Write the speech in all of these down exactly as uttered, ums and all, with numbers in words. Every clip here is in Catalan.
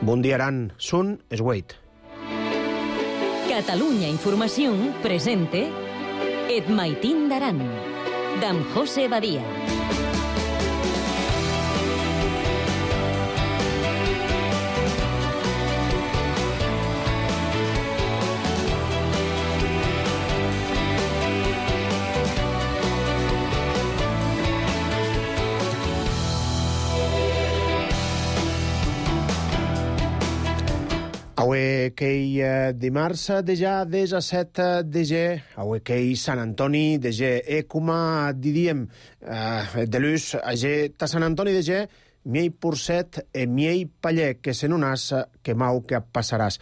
Bon dia, Aran. Són es Wait. Catalunya Informació presente Et Maitín d'Aran, d'en José Badia. Avui que uh, dimarts de ja disset de gener, avui que Sant Antoni de gener, e com diríem uh, de l'ús, a ge ta Sant Antoni de gener, miei porcet e miei paller, que se non has que mau que passaràs.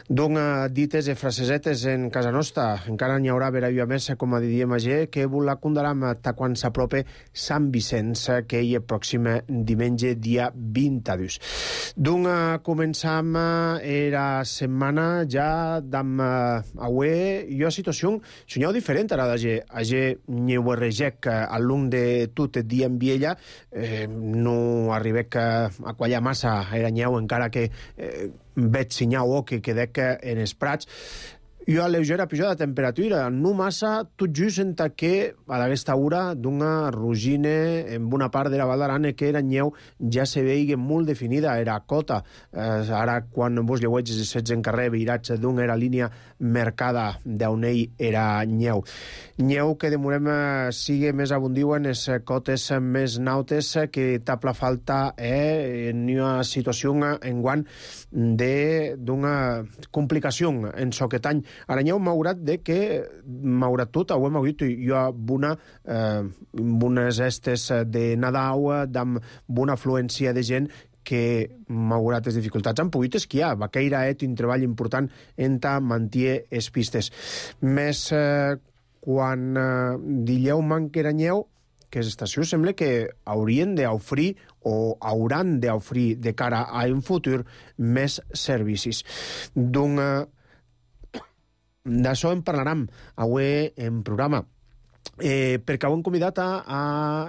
Don uh, dites e frasesetes en casa nostra, encara n'hi haurà vera i a més, com a diríem a ge, que la condaram ta quan s'aprope Sant Vicenç, que hi és pròxim diumenge, dia vint-i-dos. Don uh, començam uh, era setmana ja d'am uh, avui, jo a situació sonhau diferent ara de ge, a ge n'hi ho regec uh, al long de tot el dia en viella, eh, no arribé que a quallar massa era nyeu, encara que eh, veig sinyau o que quedec en els prats. Jo a lleugera pujada de temperatura, no massa, tot just enta que a aquesta hora d'una rugine en una part de la Val d'Aran que era nyeu ja se veia molt definida, era cota. Eh, ara, quan vos lleueig els sets en carrer, veirats d'una era línia mercada d'on ell era nyeu. Nyeu que demorem eh, sigue més abundiu en les cotes més nautes que tapla falta eh, en una situació en guant d'una complicació en soquet any. Ara n'hi ha un maurat de que maurat tot, ho hem hagut jo a una, eh, unes estes de Nadal, amb una afluència de gent que, malgrat les dificultats, han pogut esquiar. Va caire et un treball important en ta mantier es pistes. Més eh, quan eh, dilleu manqueranyeu, que les estacions sembla que haurien d'oferir o hauran d'oferir de cara a un futur més servicis. D'un eh, d'això en parlarem avui en programa. Eh, perquè ho hem convidat a, a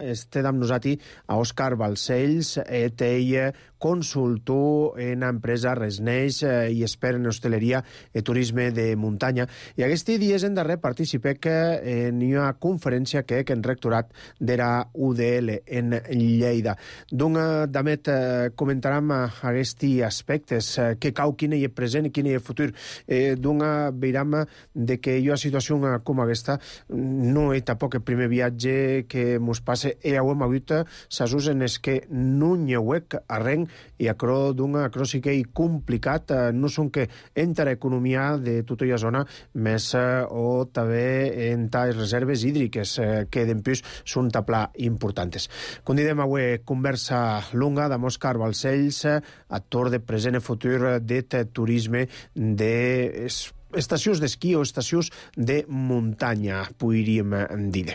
este amb nosaltres a Òscar Balcells, et ell consultor en empresa Resneix eh, i expert en hostaleria i turisme de muntanya. I aquests dies en darrer participé que en una conferència que en rectorat d'era U D L en Lleida. Donc, damet, eh, comentarem aquests aspectes, eh, que cau quin és present i quin és futur. Eh, donc, veurem de que jo a situació com aquesta no he tampoc el primer viatge que mos passe e ho hem hagut s'asus en es que no n'hi hauec arrenc i acro d'una acro sí que hi complicat, no són que entra economia de tota la zona més o també en les reserves hídriques que d'empús són tapla importantes. Com diem avui, conversa longa d'amb Òscar Balcells, actor de present i futur de turisme de estacions d'esquí o estacions de muntanya, podríem dir.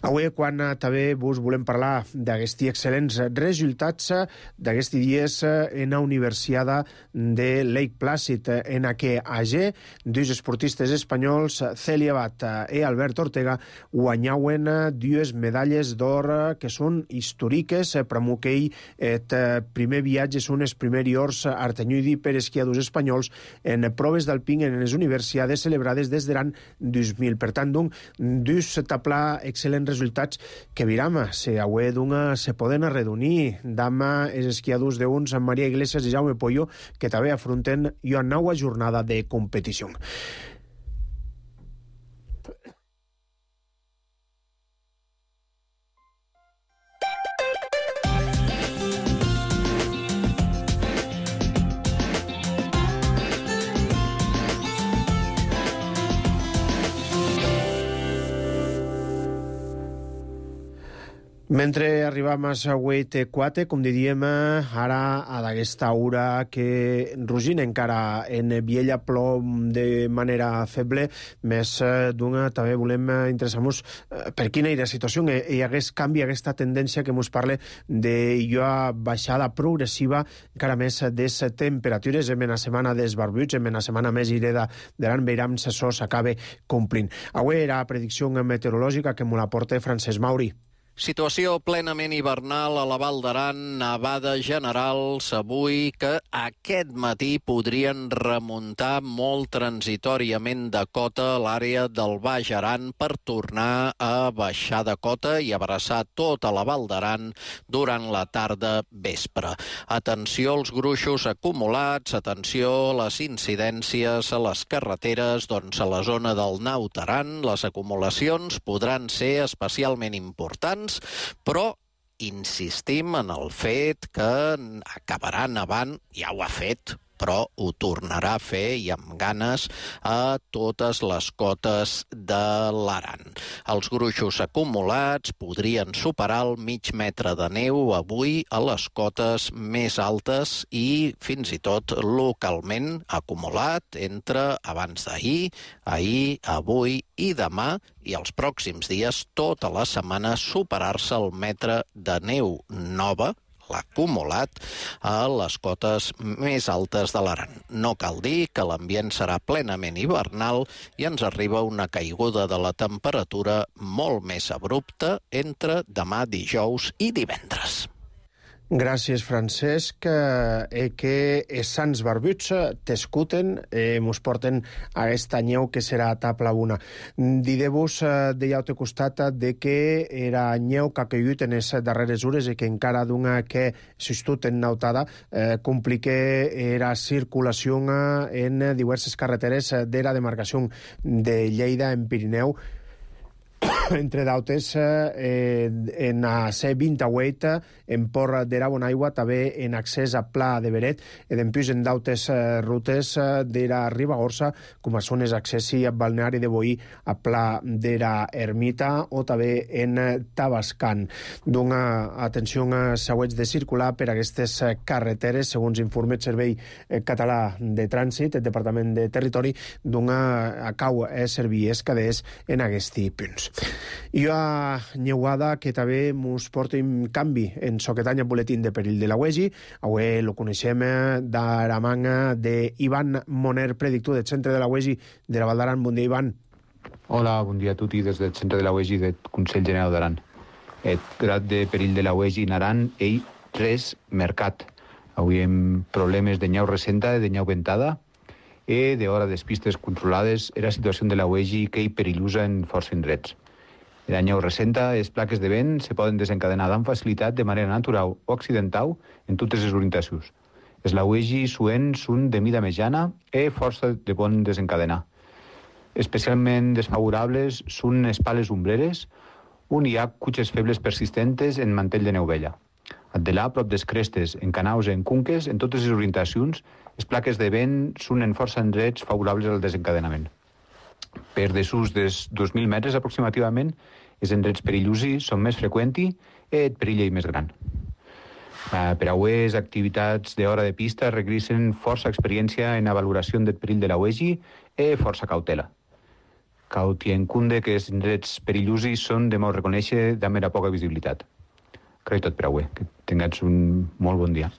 Avui, quan també vos volem parlar d'aquests excel·lents resultats d'aquests dies en la Universiada de Lake Placid, en què age dos esportistes espanyols, Celia Bat i Albert Ortega, guanyauen dues medalles d'or que són històriques per a que el primer viatge són els primers ors artenyudi per esquiadors espanyols en proves d'alpin en les universitats celebrades des de l'any dos mil. Per tant, doncs, dos taplar excel·lents resultats que viram, se avui d'una se poden arredonir d'ama els esquiadors d'uns amb Maria Iglesias i Jaume Pollo, que també afronten una nova jornada de competició. Mentre arribam a Sagüet quatre, com diríem, ara a d'aquesta hora que rugina encara en Viella plom de manera feble, més d'una també volem interessar-nos per quina era la situació i aquest canvi, aquesta tendència que ens parla de una baixada progressiva encara més de les temperatures en la setmana dels barbuts, en la setmana més ireda de l'any, veurem si això s'acaba complint. Avui era predicció meteorològica que me la porta Francesc Mauri. Situació plenament hivernal a la Val d'Aran, nevades generals avui que aquest matí podrien remuntar molt transitoriament de cota a l'àrea del Baix Aran per tornar a baixar de cota i abraçar tota la Val d'Aran durant la tarda vespre. Atenció als gruixos acumulats, atenció a les incidències a les carreteres, doncs a la zona del Naut Aran les acumulacions podran ser especialment importants, però insistim en el fet que acabarà nevant, ja ho ha fet, però ho tornarà a fer i amb ganes a totes les cotes de l'Aran. Els gruixos acumulats podrien superar el mig metre de neu avui a les cotes més altes i fins i tot localment acumulat entre abans d'ahir, ahir, avui i demà i els pròxims dies tota la setmana superar-se el metre de neu nova, l'acumulat, a les cotes més altes de l'Aran. No cal dir que l'ambient serà plenament hivernal i ens arriba una caiguda de la temperatura molt més abrupta entre demà dijous i divendres. Gràcies, Francesc. Eh, que els sants barbuts t'escuten, eh, mos porten a aquesta nyeu que serà a tabla una. Dideu-vos eh, de llaute costat de que era nyeu que ha caigut en les darreres hores i que encara d'una que s'estut en nautada eh, complique era circulació en diverses carreteres de la demarcació de Lleida en Pirineu, entre d'altres eh, en a C vint-i-vuit en Port de la Bonaigua, també en accés a Pla de Beret i d'empús en d'altres eh, rutes de la Ribagorça, com són els accessi a Balneari de Boí, a Pla de la Ermita o també en Tabascan. Dona atenció a següents de circular per aquestes carreteres, segons informa el Servei Català de Trànsit, el Departament de Territori, dona a cau a servies caders en aquests punts. I a Nyeuada, que també mos porta un canvi en soquetanya boletín de perill de la U E G I. Avui lo coneixem de la manga d'Ivan Moner, predictor del centre de la U E G I de la Val d'Aran. Bon dia, Ivan. Hola, bon dia a tutti des del centre de la U E G I del Consell General d'Aran. El grad de perill de la U E G I en Aran és tres mercat. Avui hem problemes de nyau recenta, de nyau ventada, i d'hora de pistes controlades era situació de la U E G I que hi perillosa en força indrets. La nyeu recenta, les plaques de vent se poden desencadenar amb facilitat de manera natural o accidental en totes les orientacions. Les la U E G I suents són de mida mitjana i força de bon desencadenar. Especialment desfavorables són les pales ombreres, on hi ha cutxes febles persistentes en mantell de neu vella. Addelà, prop des crestes, en canaus i en cunques, en totes les orientacions, les plaques de vent són en força indrets favorables al desencadenament. Per desús dels dos mil metres aproximativament, els indrets perillosi són més freqüents i el perill és més gran. Uh, per a avui, les activitats d'hora de pista requereixen força experiència en la valoració del perill de la U E G I i força cautela. Cal tenir en compte que els indrets perillosi són de molt reconèixer de mera poca visibilitat. Crec tot per avui. Que tingueu un molt bon dia.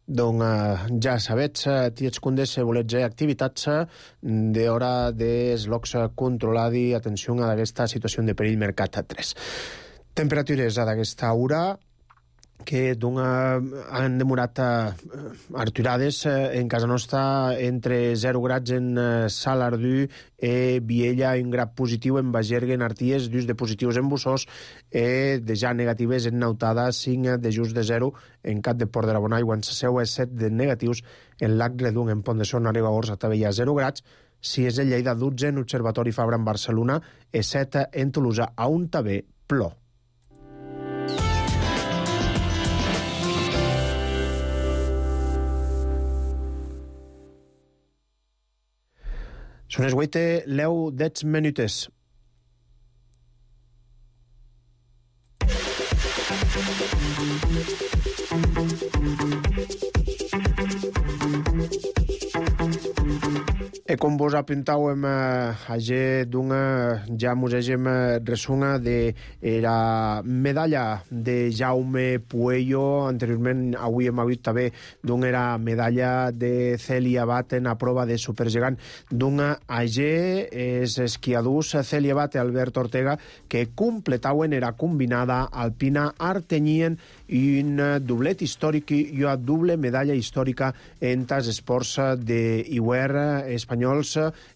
Doncs uh, ja sabets, uh, tiets cundes, se volets activitats uh, d'hora dels locs uh, controladi, atenció a aquesta situació de perill mercat tres. Temperatures a d'aquesta hora que dona, han demorat uh, arturades uh, en casa nostra entre zero grads en uh, Salardú e Viella, un grad positiu en Bagergue, en Arties, dus de positius en Bussós e de ja negatives en Nautada, cinc de just de zero en Cap de Port de la Bonaigua, en Saseu, e set de negatius en Lac Redung, en Pont de Son, a Ribagorça, també hi ha zero grads, si és el Lleida, dotze en Observatori Fabra en Barcelona e set en Tolosa, a un també plor. Són les vuit, leu dez minutes. E com vos apuntàvem eh, d'una, ja mos hagem resuna de la medalla de Jaume Puello. Anteriorment, avui hem hagut també d'una era medalla de Celia Batten a prova de supergegant d'una A G. És esquiadors Celia Batten, Albert Ortega, que completaven era combinada alpina artenyien i un doblet històric i una doble medalla històrica en els esports d'Iwer espanyols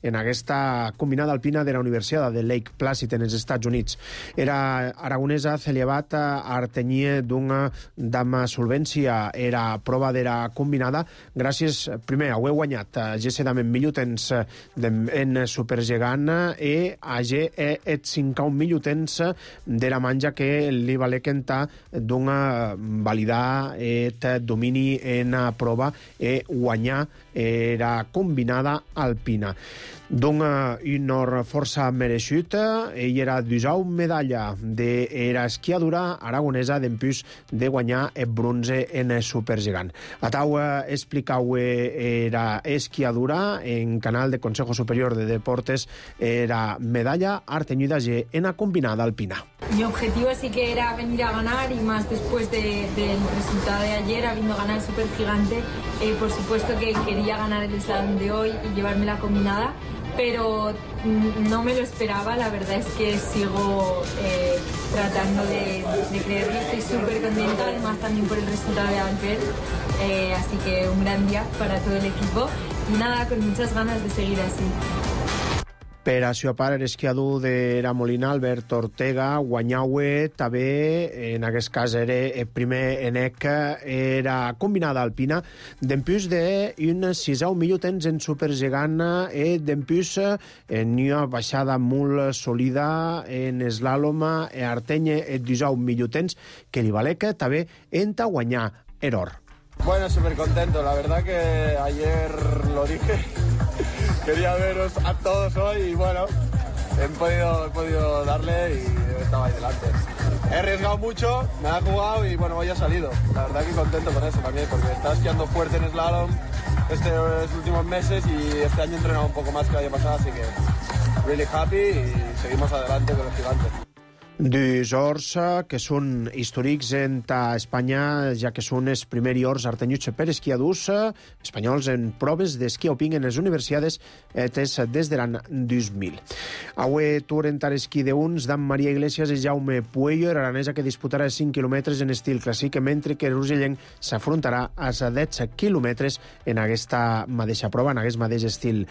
en aquesta combinada alpina de la Universitat de Lake Placid en els Estats Units. Era aragonesa Celia Bat artenyia d'una dama solvència era prova de la combinada gràcies, primer, a haver guanyat a G C Damen millor-temps en supergegant i a G E et cinc millor-temps de la manja que li valé cantar d'una validar et domini en a prova e guanyar era combinada alpina. Dona un honor força mereixut. Ell era dusau medalla d'era esquiadura aragonesa d'empús de guanyar el bronze en supergigant. Atau explicau era esquiadura en canal de Consejo Superior de Deportes era medalla arteñida en la combinada alpina. Mi objetivo sí que era venir a ganar y más después de, del resultado de ayer, habiendo ganado el supergigante, eh, por supuesto que quería ganar el slalom de hoy y llevarme la combinada, pero no me lo esperaba. La verdad es que sigo eh, tratando de, de creerlo. Estoy súper contenta, además también por el resultado de Albert, eh, así que un gran día para todo el equipo y nada, con muchas ganas de seguir así. Per a seva part, l'esquiador de la Molina, Albert Ortega, guanyaue també, en aquest cas era el primer enec, era combinada alpina, d'empús d'un sisau millor temps en supergegant i d'empús en una baixada molt sòlida en eslàlom i artenya el disau millor temps, que li valec també enta guanyar error. Bueno, súper contento, la verdad que ayer lo dije. Quería veros a todos hoy y bueno, he podido, he podido darle y estaba ahí delante. He arriesgado mucho, me ha jugado y bueno, hoy ha salido. La verdad que contento con eso también, porque estaba esquiando fuerte en slalom estos últimos meses y este año he entrenado un poco más que el año pasado, así que really happy y seguimos adelante con los gigantes. Dos ors que són històrics en Espanya, ja que són els primers ors artenyuts per esquiadors espanyols en proves d'esquí alpí en les universitats des de l'any dos mil. Avui tour en esquí d'uns d'en Maria Iglesias i Jaume Puello, aranesa que disputarà cinc quilòmetres en estil clàssic, mentre que l'urgellenc s'afrontarà als deu quilòmetres en aquesta mateixa prova, en aquest mateix estil.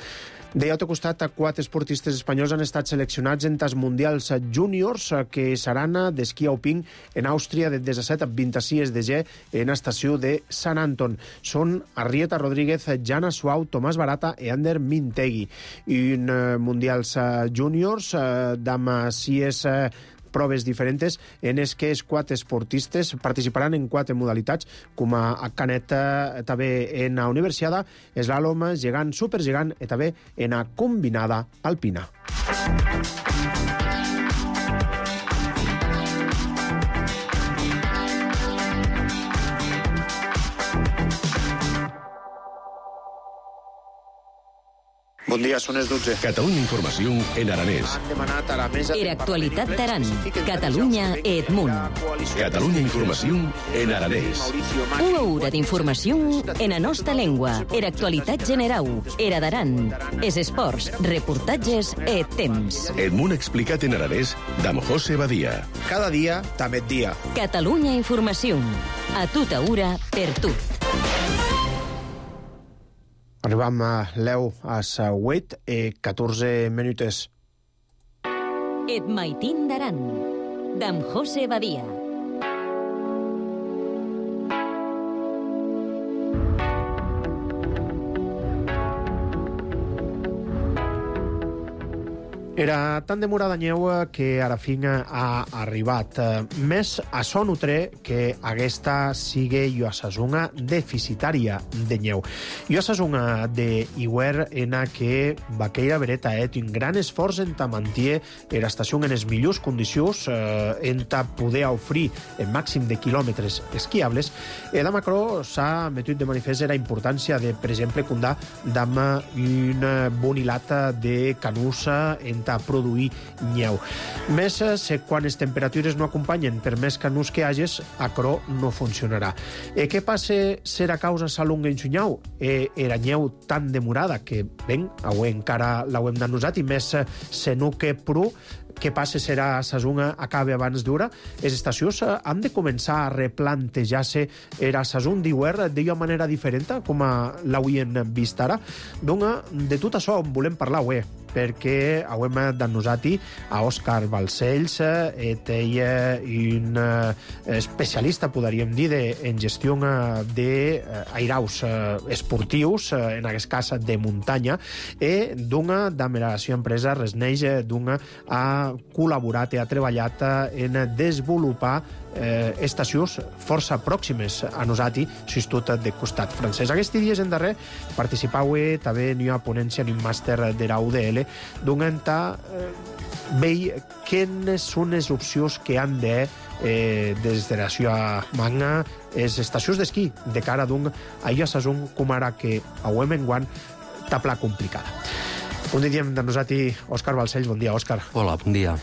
De l'altre costat, quatre esportistes espanyols han estat seleccionats en els mundials júniors que seran d'esquí alpí en Àustria de disset a vint-i-sis de gener en l'estació de Sant Anton. Són Arrieta Rodríguez, Jana Suau, Tomàs Barata i Ander Mintegui. I en mundials júniors d'amb sis proves diferents en els que els quatre esportistes participaran en quatre modalitats, com a canet també en la universiada, eslàlom, gegant, supergegant i també en la combinada alpina. Bon dia, són les dotze. Catalunya Informació en aranès. Era actualitat d'Aran. Catalunya et Munt. Catalunya Informació en aranès. Una hora d'informació en la nostra llengua. Era actualitat generau. Era d'Aran. Es esports, reportatges et temps. Et Munt explicat en aranès d'amb José Badia. Cada dia, també dia. Catalunya Informació. A tota hora, per tu. Arribam a l'eu a les vuit i catorze minutes. Et maitin d'Aran, d'en José Badia. Era tan demorada neu que ara fin ha arribat. Més a so nutre que aquesta sigue jo a sazunga deficitària de neu. Jo a sazunga de Iwer en a que vaqueira vereta et un gran esforç en ta mantier era estació en les millors condicions eh, en ta poder ofrir el màxim de quilòmetres esquiables. E da Macro s'ha metut de manifest la importància de, per exemple, condar d'ama una bonilata de canusa en a produir nyeu. Més se quan les temperatures no acompanyen per més canús que hages, acro no funcionarà. E què passa serà causa salunga en xunyau? E era nyeu tan demorada que, ben, avui encara l'hauem d'anusat i més se no que pru què passa serà sazunga acabe abans d'hora? Les estacions han de començar a replantejar-se era sazun d'Iwer d'una manera diferent com l'hauien vist ara. Doncs de tot això en volem parlar avui, perquè hauem d'anusat-hi a Òscar Balcells, et ell un especialista, podríem dir, en gestió d'airaus esportius, en aquest cas de muntanya, i d'una de la seva empresa Resneix, d'una ha col·laborat i ha treballat en desenvolupar eh, estacions força pròximes a nosaltres, s'estut de costat francès. Aquests dies en darrer participau també en una ponència en un màster de la U D L, donant a eh, veure quines són les opcions que han de eh, des de la seva magna les estacions d'esquí de cara d'un a ella sazun com ara que hauem enguant tapla complicada. Un dia de nosaltres, Òscar Balcells. Bon dia, Òscar. Hola, bon dia.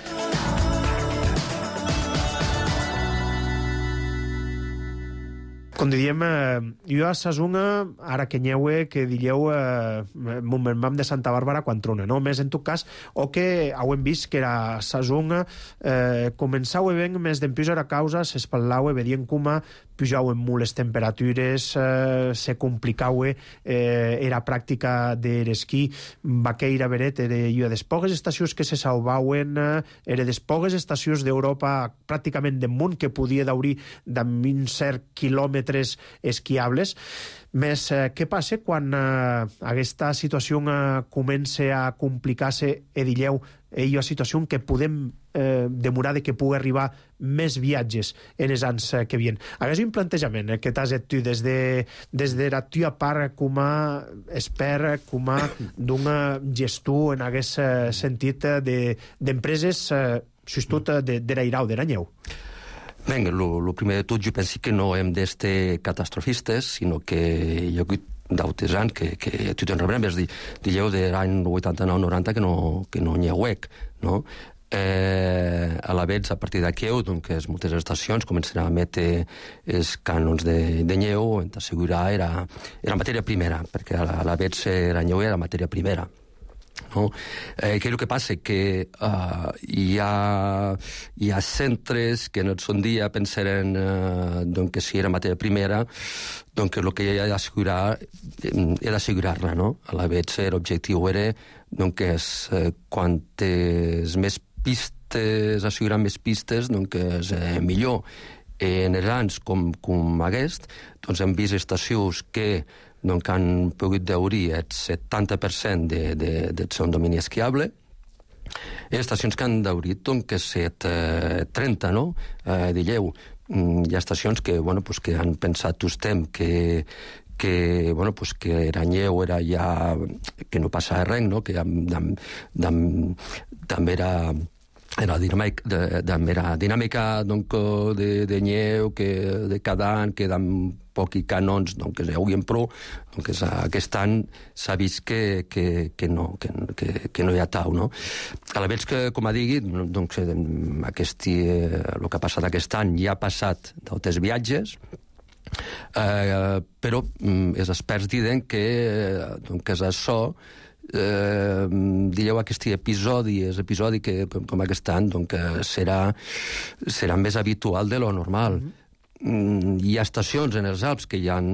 Com diríem, eh, jo a Sazunga, ara que nyeue, que dilleu eh, vam de Santa Bàrbara quan trona, no? Més en tot cas, o que hauem vist que era Sazunga eh, començau ben més d'empius a causa, s'espatlau, vedien com pujau en molt les temperatures, eh, se complicau eh, era pràctica de l'esquí, vaqueira veret, era jo des poques estacions que se salvauen, eh, era des poques estacions d'Europa pràcticament de munt que podia daurir d'am un cert quilòmetre esquiables. Més, eh, què passa quan eh, aquesta situació eh, comença a complicar-se e dilleu i una situació que podem eh, demorar de que pugui arribar més viatges en els anys eh, que vien. Hagués un plantejament eh, que t'has fet tu des de, des de la tua part com a expert, com a d'un gestor en aquest eh, sentit eh, d'empreses eh, justament de, de l'airau, de la neu. Ben, el primer de tot, jo penso que no hem d'estar catastrofistes, sinó que hi ha hagut d'altres anys que, que tu te'n rebrembes, dilleu de l'any vuitanta-nou noranta que no, que no n'hi ha huec, no? Eh, a la vegada, a partir d'aquí, doncs, moltes estacions començaran a emetre els cànons de, de nyeu, en t'assegurar era, era matèria primera, perquè a la vegada la nyeu era matèria primera. No? Eh, què és el que passa? Que uh, hi, ha, hi ha centres que en el son dia pensaren uh, doncs que si era matèria primera, doncs que el que hi ha d'assegurar era assegurar-la, no? A la vegada l'objectiu era doncs que és, uh, quantes més pistes, assegurar més pistes, doncs que és eh, millor. En els anys com, com aquest, doncs hem vist estacions que doncs, que han pogut daurir el setanta per cent de, de, del seu domini esquiable, i estacions que han daurit doncs, que set, eh, trenta, no? Eh, dilleu. Hi ha estacions que, bueno, pues, que han pensat tostem que que, bueno, pues, que era nyeu, era ja... que no passava res, no? Que també era... era dinàmica, de, de, era dinàmica donc, de, de nyeu, que, de cada any, que amb pocs canons donc, que s'haurien prou. Donc, aquest any s'ha vist que, que, que, no, que, que, que no hi ha tau. No? A la vegada que, com ha dit, doncs, aquest, el que ha passat aquest any ja ha passat d'altres viatges, eh, però els experts diuen que, doncs, que és això. Eh, dieu aquest episodi, és episodi que com aquest any doncs, serà, serà més habitual de lo normal. Mm-hmm. Hi ha estacions en els Alps que ja han,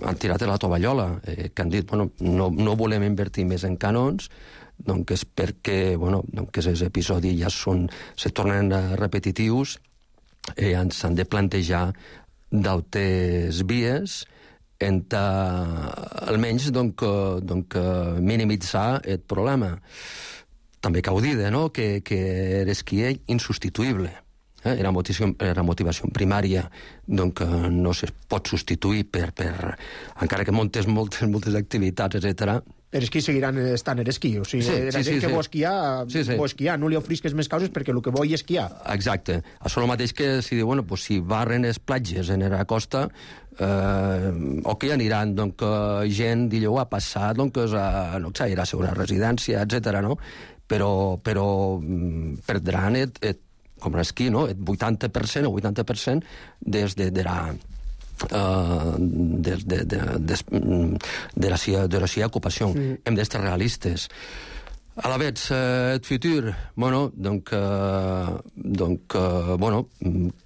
han tirat la tovallola, eh, que han dit bueno, no, no volem invertir més en canons, doncs és perquè bueno, doncs els episodis ja són, se tornen repetitius i eh, s'han de plantejar d'altres vies en almenys donc, donc, minimitzar el problema. també cau dir, no?, que, que l'esquí és insubstituïble. Eh? Era, motivació, era motivació primària, doncs no se pot substituir per, per encara que montes moltes, moltes activitats, etcètera. L'esquí seguiran estant l'esquí, o sigui, Sí, la sí, gent sí, que sí. vol esquiar, Sí, sí. vol esquiar, no li ofrisques més causes perquè el que vol és esquiar. Exacte. Això el mateix que si diu, bueno, pues si barren les platges en la costa, eh, o que aniran, doncs, gent, digueu, a passar, doncs, a, no sé, ir a una residència, etcètera, no? Però, però mm, perdran, et, et, com l'esquí, no?, el vuitanta per cent o vuitanta per cent des de, de la... Uh, de, de, de, de, de la seva, de la seva ocupació. Mm. Hem d'estar realistes. A la vez, eh, el futur, bueno, donc, eh, donc eh, bueno,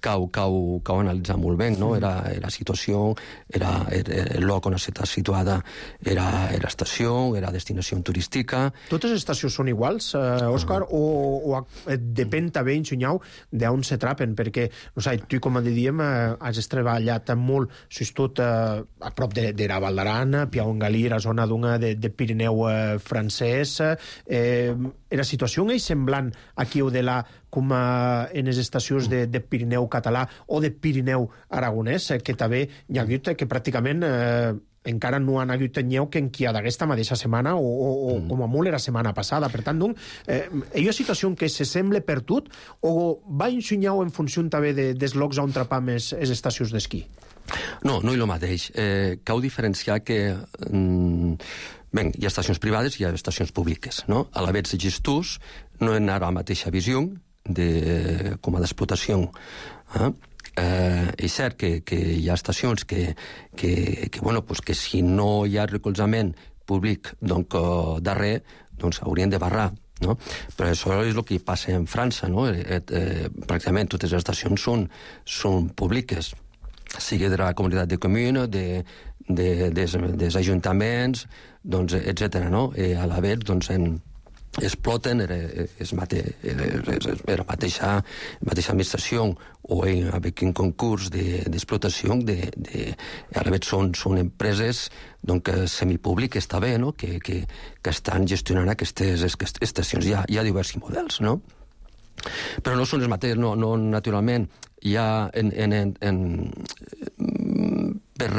cau, cau, cau analitzar molt bé, no? Era, era situació, era, era el lloc on està situada, era, era estació, era destinació turística. Totes les estacions són iguals, eh, Òscar, uh -huh. o, o depèn també, enxunyau, d'on se trapen, perquè, no sé, tu, com diem, eh, has treballat molt, si tot eh, a prop de, de la Val d'Aran, Piau en Galí, la zona d'una de, de Pirineu eh, francès, eh, Eh, la situació és semblant aquí o de la, com a, en les estacions de, de Pirineu català o de Pirineu aragonès, eh, que també hi ha hagut que pràcticament eh, encara no han hagut nyeu que enquià d'aquesta mateixa setmana o, o, o com a molt era setmana passada. Per tant, doncs, eh, hi ha situació que se sembla per tot o va ensenyar en funció també de, dels llocs on trapam les estacions d'esquí? No, no és el mateix. Eh, cal diferenciar que... Mm, bé, hi ha estacions privades i hi ha estacions públiques, no? A la vegada, els gestors no han a la mateixa visió de, com a d'explotació. Eh? Eh, és cert que, que hi ha estacions que, que, que, bueno, pues que si no hi ha recolzament públic doncs, uh, darrer, doncs haurien de barrar. No? Però això és el que passa en França, no? Eh, eh, pràcticament totes les estacions són, són públiques, sigui de la comunitat de comuna, de, de, des, des ajuntaments, doncs, etcètera, no? I a la vegada, doncs, en, exploten la mateixa, mateixa administració o avec un concurs d'explotació, de, de, a la vegada són, són empreses doncs, semipúbliques també, no? que, que, que estan gestionant aquestes estacions. Hi ha, hi ha diversos models, no? Però no són els mateixos, no, no naturalment. Hi ha en, en, en, en per,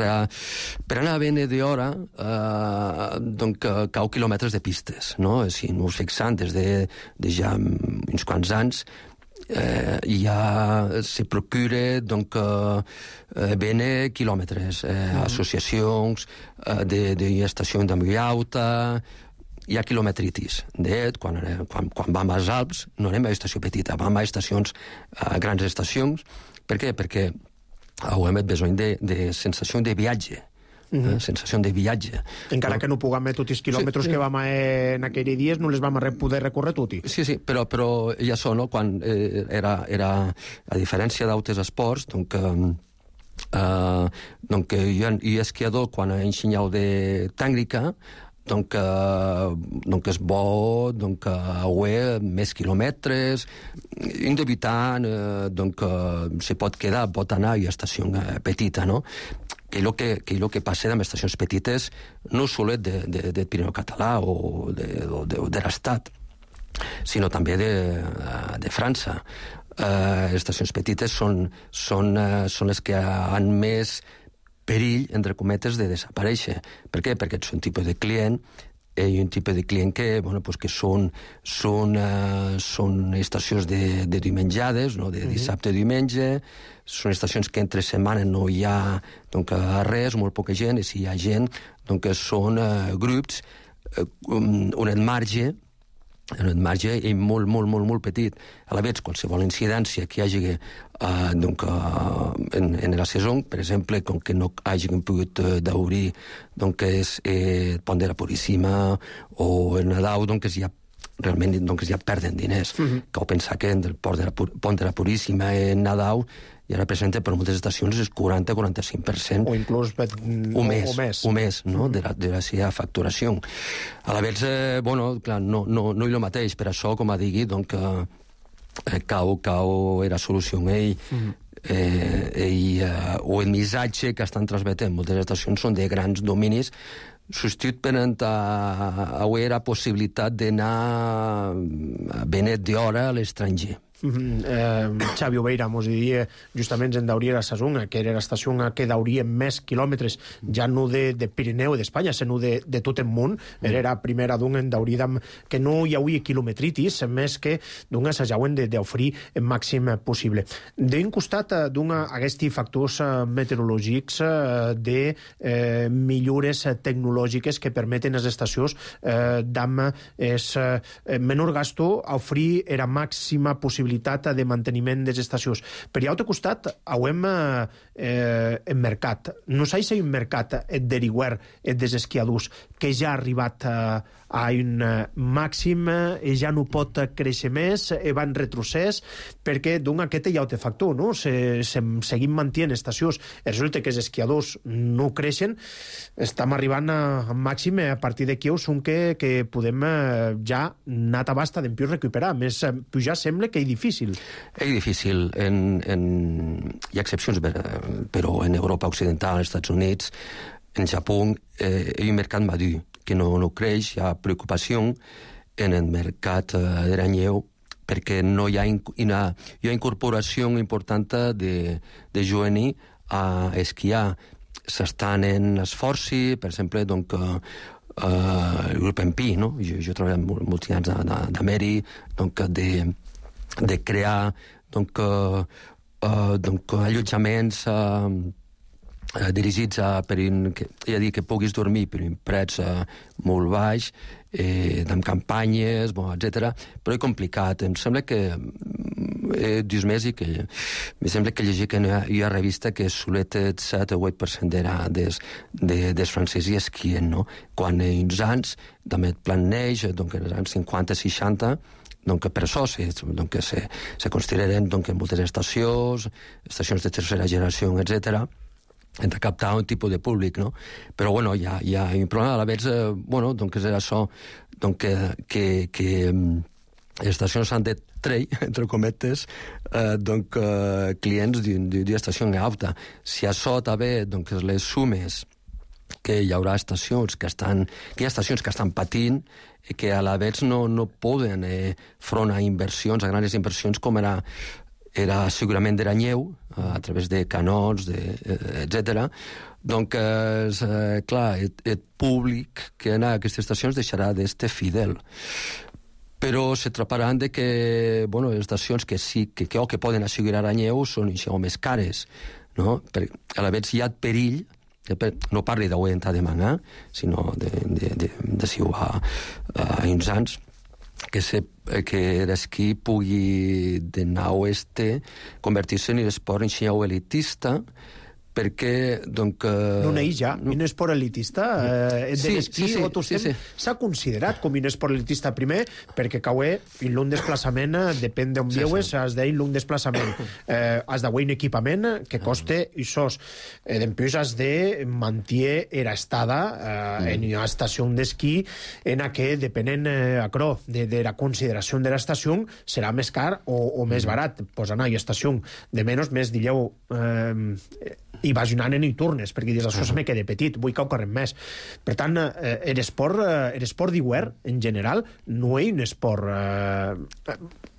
per anar a Bene d'Hora eh, doncs, cau quilòmetres de pistes, no? Si no us fixant des de, de ja uns quants anys eh, ja se procura doncs, eh, Bene quilòmetres, eh, mm. associacions eh, d'estacions de, de molt alta. Hi ha quilometritis. De, quan, quan, quan vam als Alps no anem a estació petita, vam a estacions, a grans estacions. Per què? Perquè hem besoin de, de sensació de viatge. Mm-hmm. eh? Sensació de viatge. Encara però... que no puguem tots els quilòmetres sí, que vam a, en aquells dies, no les vam a poder recórrer tots. Sí, sí, però, però ja són, no? Quan eh, era, era, a diferència d'altres esports, doncs, eh, doncs hi ha, hi ha esquiador quan ha ensenyat de tècnica, donc, uh, donc és bo donc, uh, haver més quilòmetres. Un debutant uh, donc, uh, se pot quedar, pot anar a una estació uh, petita, no? Que el que, que, lo que passa amb estacions petites no solet de, de, de Pirineu català o de, de, de l'Estat, sinó també de, de França. Uh, estacions petites són, són, uh, són les que han més perill, entre cometes, de desaparèixer. Per què? Perquè és un tipus de client i un tipus de client que, bueno, pues que són, són, uh, són estacions de, de diumenjades, no? De dissabte a diumenge, són estacions que entre setmana no hi ha donc, res, molt poca gent, i si hi ha gent, doncs són uh, grups uh, on el marge el marge és molt, molt, molt, molt petit. A la vegada, qualsevol incidència que hi hagi eh, donc, eh, en, en la saison, per exemple, com que no hagin pogut eh, d'obrir donc, és eh, Pont de la Puríssima o el Nadal, doncs ja realment doncs, ja perden diners. Mm-hmm. Cal pensar que el Pont de la, Pont de la Puríssima en Nadal ja representa per moltes estacions el quaranta a quaranta-cinc per cent. O inclús o més, o més, o més no? Mm. de, la, de la seva facturació. A la vegada, eh, bueno, clar, no, no, no és el mateix, per això, com a digui, doncs, eh, cau, cau era solució ell, mm. eh, ell, eh, o el missatge que estan transmetent moltes estacions són de grans dominis, substitut per avui la possibilitat d'anar a benet d'hora a l'estranger. Mm-hmm. eh, Xavi Obeira mos diria justament en dauria la Sasunga, que era l'estació que dauria més quilòmetres, ja no de, de Pirineu i d'Espanya, sinó de, de tot el món. Mm. Era la primera d'un en dauríem que no hi hauria quilometritis, més que d'un assajauen d'oferir el màxim possible. D'un costat, d'un aquests factors meteorològics de eh, millores tecnològiques que permeten a les estacions eh, d'am és eh, menor gasto a oferir la màxima possibilitat de manteniment de les estacions. Per l'altre costat, hem eh, el mercat. No sé si hi ha un mercat deriguer dels esquiadors que ja ha arribat a, a un màxim i ja no pot créixer més, i va en retrocés, perquè d'un aquest hi ha altre factor, no? Se, se, seguim mantenint estacions, resulta que els esquiadors no creixen, estem arribant a, a màxim, a partir d'aquí són que, que podem ja anar a basta d'empius recuperar, més pujar sembla que és difícil. És difícil, en, en... hi ha excepcions, però en Europa Occidental, als Estats Units, en Japó, eh, hi ha un mercat madur, que no, no creix, hi ha preocupació en el mercat eh, de l'anyeu, perquè no hi ha, una, hi ha incorporació important de, de joveni a esquiar. S'estan en esforços, per exemple, donc, eh, el grup M P, no? jo, jo he treballat molts anys d'Ameri, donc, de de crear donc, uh, uh, donc, allotjaments uh, uh, dirigits a, per un, que, ja dir, que puguis dormir per un prets uh, molt baix, eh, amb campanyes, bon, etcètera. Però és complicat. Em sembla que he dit més i que em sembla que llegir que hi ha, hi ha revista que solet el set o vuit per cent era des, de, des francesos esquien, no? Quan en uns anys, també el plan neix, doncs en els anys cinquanta seixanta, donc per això se, donc se, se consideren donc, moltes estacions, estacions de tercera generació, etcètera, hem de captar un tipus de públic, no? Però, bueno, hi ha, hi ha un problema, a la vegada, eh, bueno, donc és això, donc, que, que, que les estacions han de treure, entre cometes, eh, donc, eh, clients d'una estació alta. Si això també, donc, les sumes que hi haurà estacions que estan, que hi ha estacions que estan patint i que a la vegada no, no poden eh, front a inversions, a grans inversions com era, era segurament de l'anyeu, a través de canons, de, eh, etcètera. Donc, eh, clar, el, el públic que anar a aquestes estacions deixarà d'estar fidel. Però se trataran de que, bueno, les estacions que sí, que, que, que poden assegurar anyeu són això, més cares, no? Per, a la vegada hi ha perill, no parli d'avui entrar de mangar, sinó de, de, de, de si ho ha a uns anys, que, se, que l'esquí pugui de nou este convertir-se en l'esport en xinau elitista, perquè, donc... Uh... No n'hi ja, un esport elitista eh, de sí, l'esquí, sí, sí, o tu sí, sí. s'ha considerat com un esport elitista primer, perquè caué en l'un desplaçament, depèn d'on sí, viues, sí. Has d'ir l'un desplaçament. Eh, has d'haver un equipament que coste i sos. Eh, D'empús has de mantenir era estada eh, mm. en una estació d'esquí en la que, depenent eh, acrò, de, de la consideració de l'estació, serà més car o, o més barat. Pues anar a una estació de menys, més, digueu... Eh, i vas anant en i tornes, perquè dius, això se me queda petit, vull que ho correm més. Per tant, eh, l'esport eh, l'esport d'hivern, en general, no és un esport eh,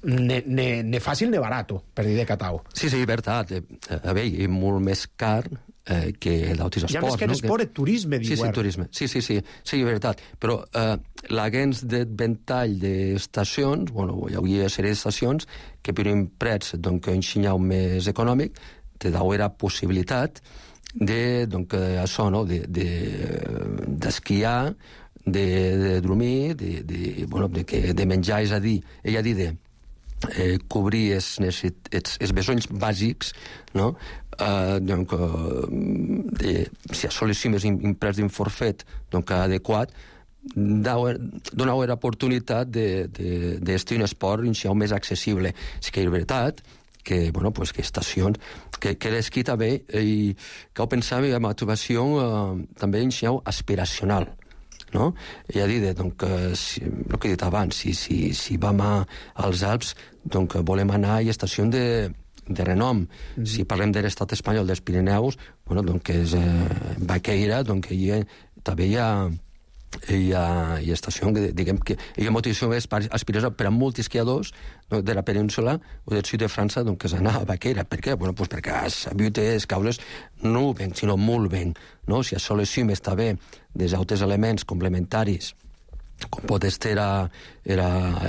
ne, ne, ne fàcil ne barat, per dir de catau. Sí, sí, veritat. A veure, és molt més car eh, que d'altres esports. Ja més que l'esport, no? El turisme d'hivern. Sí, sí, turisme. Sí, sí, sí, sí, és veritat. Però eh, l'agens de ventall d'estacions, bueno, hi hauria una sèrie d'estacions que per un prets, doncs, un xinyau més econòmic, te dau la possibilitat de, donc, això, no? de, de, d'esquiar, de, de dormir, de, de, bueno, de, que, de menjar, és a dir, ell ha dit de eh, cobrir els, els, els besonys bàsics, no? Uh, donc, uh, de, si assolissimes un preu d'un forfet donc, adequat, donau l'oportunitat d'estar de, de un esport més accessible. Sí que és veritat que, bueno, pues que estacions, que, que l'esquí també, i que ho pensava en motivació eh, també en xinau aspiracional, no? I a dir, doncs, si, el que he dit abans, si, si, si vam a, als Alps, doncs volem anar a estacions de, de renom. Mm-hmm. Si parlem de l'estat espanyol dels Pirineus, bueno, doncs és eh, Baqueira, doncs hi ha també hi ha hi ha, hi ha estació, diguem que hi ha motivació aspiració per a molts esquiadors no, de la península o del sud de França doncs, que s'anà a Baquera. Per què? Bueno, pues perquè has sabut les causes no ben, sinó molt ben. No? Si això les cim està bé dels altres elements complementaris com pot ser la, la,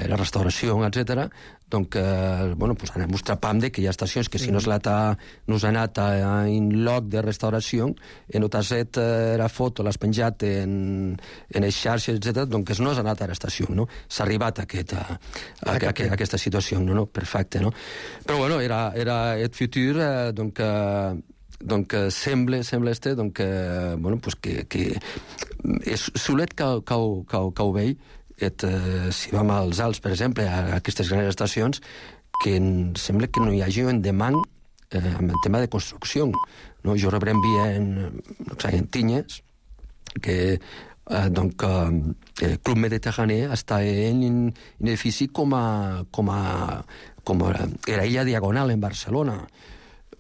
la restauració, etcètera, doncs, eh, bueno, pues anem mostrant de que hi ha estacions que si no s'ha no anat a, en lloc de restauració, en no t'has fet eh, la foto, l'has penjat en, en les xarxes, etcètera, doncs no has anat a l'estació, no? S'ha arribat a, aquest, a, a, a, a aquesta situació, no? no? Perfecte, no? Però, bueno, era, era el futur, eh, doncs, eh, donc eh, sembla, sembla este, donc, eh, bueno, pues que, que és solet que, que, que, que ho vei, et, eh, si vam als Alps, per exemple, a aquestes grans estacions, que en, sembla que no hi hagi un demand eh, en el tema de construcció. No? Jo rebrem via en, no sé, en Tinyes, que eh, donc, eh, el Club Mediterrani està en un edifici com a, com a, com a era illa Diagonal en Barcelona.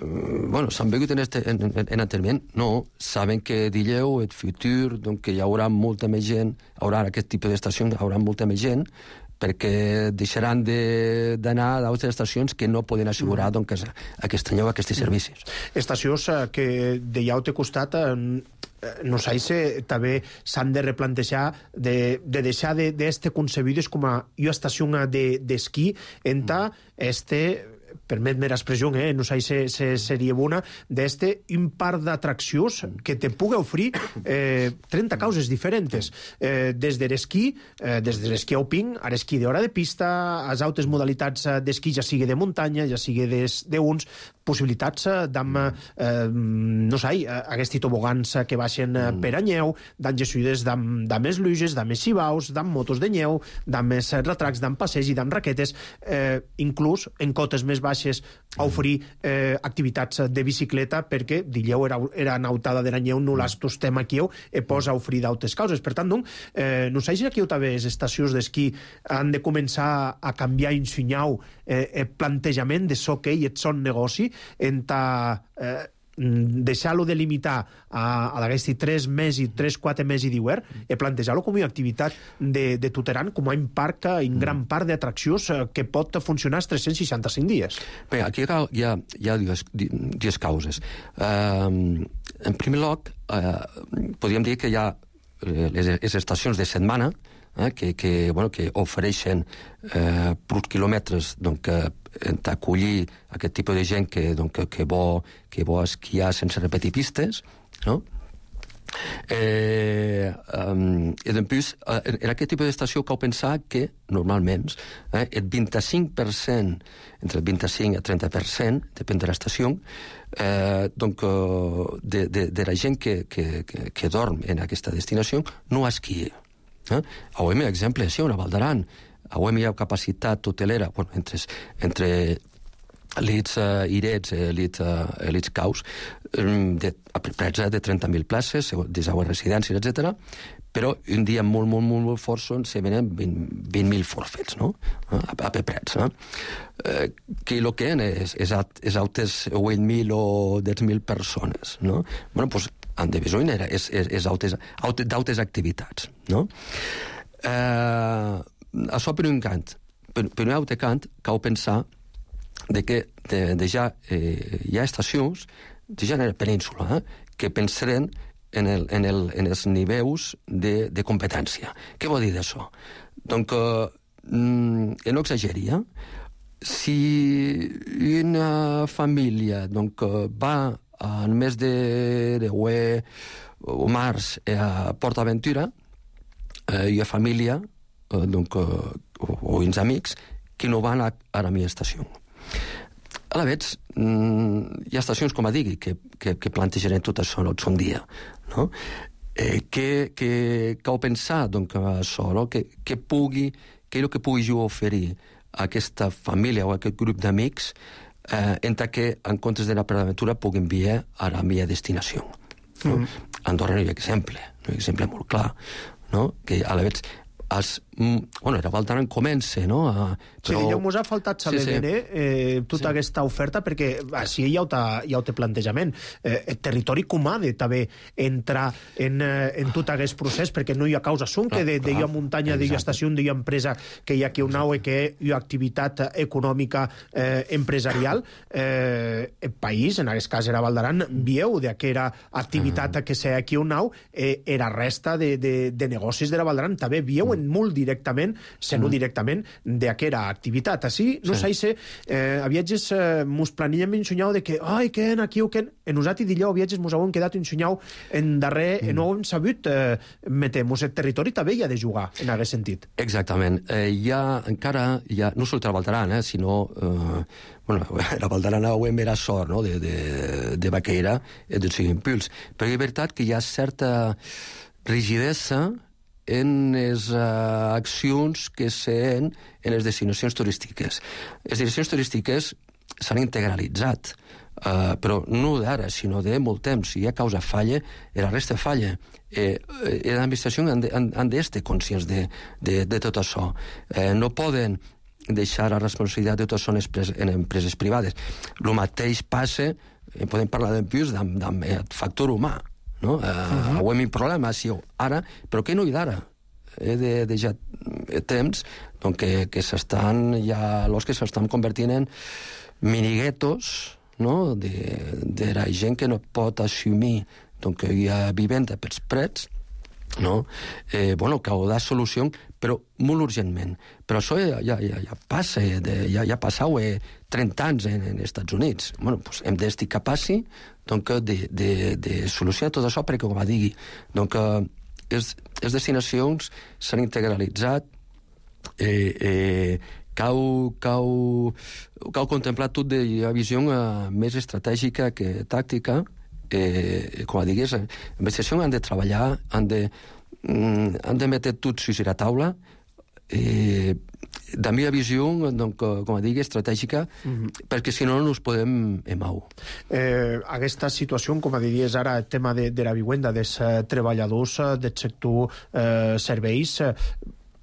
Bueno, s'han vegut en, este, en, en, en enteniment? No, saben que dilleu, el futur, doncs que hi haurà molta més gent, hi haurà aquest tipus d'estacions, hi haurà molta més gent, perquè deixaran d'anar a d'altres estacions que no poden assegurar doncs, aquest any aquests servicis. Estacions que de ja té costat no sé si també s'han de replantejar de, de deixar d'este de, concebides com a estació d'esquí en ta este permet-me l'expressió, eh? no sé si, si seria bona, d'este un parc d'atraccions que te pugui oferir eh, trenta causes diferents. Eh, des de l'esquí, eh, des de l'esquí alpin, a l'esquí d'hora de pista, a les altres modalitats d'esquí, ja sigui de muntanya, ja sigui d'uns, possibilitats d'am, eh, no sé, aquests tobogans que baixen per a neu, d'am gessuides d'am més luges, d'am més xivaus, d'am motos de neu, d'am més retracs, d'am passeig i d'am raquetes, eh, inclús en cotes més baixes a oferir eh, activitats de bicicleta perquè dilleu era, era nautada de la neu, no les tostem aquí e posa a oferir d'altres causes. Per tant, doncs, eh, no sé si aquí també les estacions d'esquí han de començar a canviar en sunyau eh, el plantejament de so que et son negoci en ta eh, deixar-lo de limitar a, a d'aquests tres mesos, tres, quatre mesos d'hivern i plantejar-lo com una activitat de, de tuteran, com un parc, un gran parc d'atraccions que pot funcionar els tres-cents seixanta-cinc dies. Bé, aquí hi ha, hi ha dues, dues causes. Uh, en primer lloc, uh, podríem dir que hi ha les, les estacions de setmana eh, que, que, bueno, que ofereixen eh, per quilòmetres doncs, eh, acollir aquest tipus de gent que, doncs, que, que, vol, que vol esquiar sense repetir pistes, no? Eh, um, i després, eh, en aquest tipus d'estació cal pensar que normalment eh, el vint-i-cinc per cent, entre el vint-i-cinc i el trenta per cent, depèn de l'estació, eh, donc, de, de, de la gent que, que, que, que dorm en aquesta destinació no esquia. Eh? A O M, exemple, sí, a Val d'Aran, a O M hi ha capacitat hotelera, bueno, entre, entre elits uh, irets, elits, uh, elits caus, um, de, presa de trenta mil places, de seues residències, etcètera. Però un dia molt, molt, molt, molt fort són, se venen vint mil forfets, no? A, a Peprets, no? Eh, que el que és, és, és altes vuit mil o deu mil persones, no? Bueno, doncs, en de besoin és, és, és d'altes activitats, no? Eh, això per un cant. Per, per un altre cant, cal pensar de que de, de ja eh, hi ha estacions, de ja en la península, eh, que pensaren en, el, en, el, en els nivells de, de competència. Què vol dir d'això? Donc, eh, no exageria, si una família donc, va al mes de, de Hue o març a PortAventura, eh, hi ha família eh, donc, eh, o, o uns amics que no van a, a la meva estació. A la vegada, hi ha estacions, com a digui, que, que, que plantejaran tot això en un dia, no? Eh, que, que cal pensar, doncs, això, no? que, que pugui, que el que pugui jo oferir a aquesta família o a aquest grup d'amics eh, en que, en comptes d'anar per l'aventura, puguin enviar a la meva destinació. No? Mm. A Andorra no hi ha exemple, no hi ha exemple molt clar, no? Que a la vegada els bueno, era Val d'Aran comença, no? A, però... Sí, mos ha faltat saber sí, sí. bé eh, tota sí. aquesta oferta, perquè així ja ho té, ja ho té plantejament. Eh, el territori com ha de també entrar en, eh, en tot aquest procés, perquè no hi ha causa sun, que de, de hi ha muntanya, de hi ha estació, de hi ha empresa, que hi ha aquí un nau, que hi ha activitat econòmica eh, empresarial. Eh, el país, en aquest cas era Val d'Aran, vieu d'aquella activitat uh -huh. que sé aquí un nau, eh, era resta de, de, de negocis de la Val d'Aran. També vieu uh -huh. en molt directament, se no mm. directament, d'aquella activitat. Així, no sí. sé, eh, a viatges eh, mos planillem ensunyau de que, ai, que en aquí o que en... En usat i dillau a viatges mos han quedat ensunyau en darrer, mm. no hem sabut eh, metem-nos el territori també hi ha de jugar, en aquest sentit. Exactament. Eh, hi ha, encara, hi ha, no sols a Val d'Aran, eh, sinó... Eh, bueno, la Val d'Aran ho hem era sort, no?, de, de, de Baqueira, eh, del seu impuls. Però és veritat que hi ha certa rigidesa en les uh, accions que s'han en les destinacions turístiques. Les destinacions turístiques s'han integralitzat, uh, però no d'ara, sinó de molt temps. Si hi ha causa falla, la resta falla. Eh, les administracions han, de, han, han d'estar conscients de, de, de tot això. Eh, no poden deixar la responsabilitat de tot això en empreses privades. El mateix passa, eh, podem parlar d'empius, amb, amb el factor humà. No? Uh, uh-huh. Ho hem un problema, sí, ara, però que no hi d'ara. He de, de ja temps doncs, que, que s'estan, ja, los que s'estan convertint en miniguetos, no?, de, de la gent que no pot assumir doncs, que hi ha vivenda pels prets, no? Eh, bueno, que ho da solució, però molt urgentment. Però això ja, ja, ja passa, de, ja, ja passau eh, trenta anys en, en Estats Units. Bueno, pues hem d'estar capaços doncs, de, de, de solucionar tot això, perquè, com va dir, doncs, les, les destinacions s'han integralitzat, eh, eh, cau, cau, cau contemplat tot de la visió eh, més estratègica que tàctica. Eh, com a digués, les investigacions han de treballar, han de, mm, han de metre tots sus a la taula, eh, de la meva visió, doncs, com a digués, estratègica, mm-hmm. perquè si no no ens podem emau. Eh, aquesta situació, com a diries ara, el tema de, de la vivenda dels eh, treballadors eh, del sector eh, serveis, eh,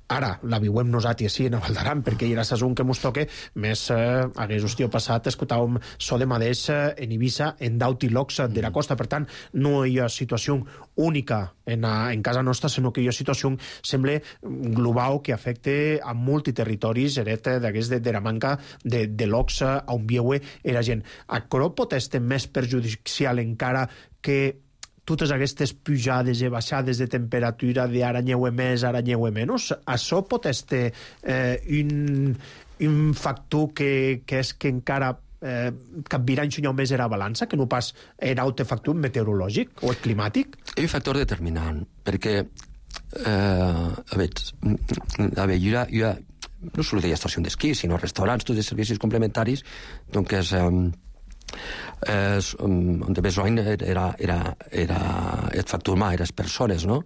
ara la viuem nosaltres sí, en Val d'Aran, perquè hi ha un que mos toque, més eh, hagués hòstia passat, escoltàvem so de mateix eh, en Eivissa, en d'Autilocs de la costa. Per tant, no hi ha situació única en, a, en casa nostra, sinó que hi ha situació, sembla, global, que afecta a multiterritoris, eret d'aquest de, de la manca de, de locs on vieue era gent. Això pot estar més perjudicial encara que totes aquestes pujades i baixades de temperatura d'ara nyeue més, ara nyeue menys, això pot estar eh, un, un factor que, que és que encara eh, capvirà ensenyar més era balança, que no pas era un factor meteorològic o climàtic? És un factor determinant, perquè eh, a veure, a veure hi ha, hi ha no sols hi ha estació d'esquí, sinó restaurants, tots els servicis complementaris, doncs és... Eh, Eh, on de besoin era, era, era el factor humà, eren les persones, no?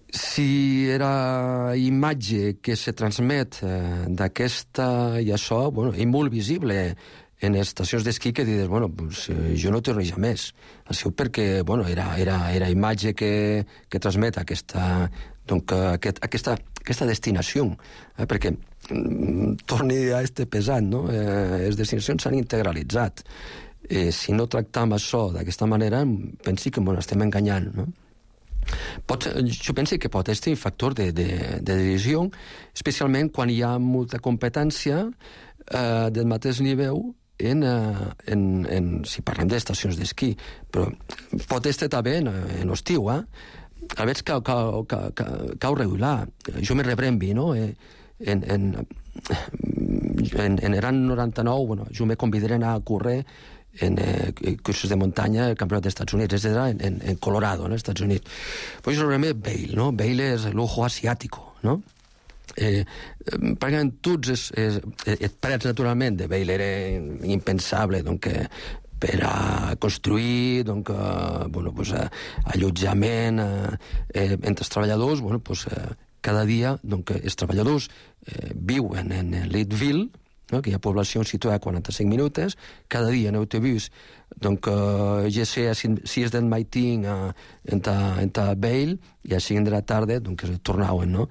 Si era imatge que se transmet eh, d'aquesta i això, bueno, és molt visible en les estacions d'esquí que dius, bueno, pues, eh, jo no torno ja més. Això perquè, bueno, era, era, era imatge que, que transmet aquesta, donc, aquest, aquesta, aquesta destinació, eh, perquè mm, torni a este pesant, no? Eh, les destinacions s'han integralitzat. Eh, si no tractam això d'aquesta manera, pensi que bueno, estem enganyant, no? Pot, jo penso que pot ser un factor de, de, de decisió, especialment quan hi ha molta competència eh, del mateix nivell en, en, en, si parlem d'estacions d'esquí, però pot estar també en, en estiu, eh? A veure, cau, cau, cau, cau, cau regular. Jo me rebrembi, no? Eh, en, en, en, en l'any noranta-nou, bueno, jo me convidaré a anar a córrer en eh, cursos de muntanya al Campionat dels Estats Units, etcètera, en, en, en Colorado, no, als Estats Units. Pues jo rebrembi Vail, no? Vail és l'ojo asiàtico, no? Eh, pràcticament tots els, els, els parets, naturalment, de Vail era impensable, doncs, eh, per a construir donc, eh, bueno, pues, eh, allotjament eh, eh, entre els treballadors. Bueno, pues, eh, cada dia donc, els treballadors eh, viuen en Leadville, no? Que hi ha població situada a quaranta-cinc minuts, cada dia en autobús, donc, eh, ja sé a sis del matí a, en Vail i a cinc de la tarda donc, tornaven, no?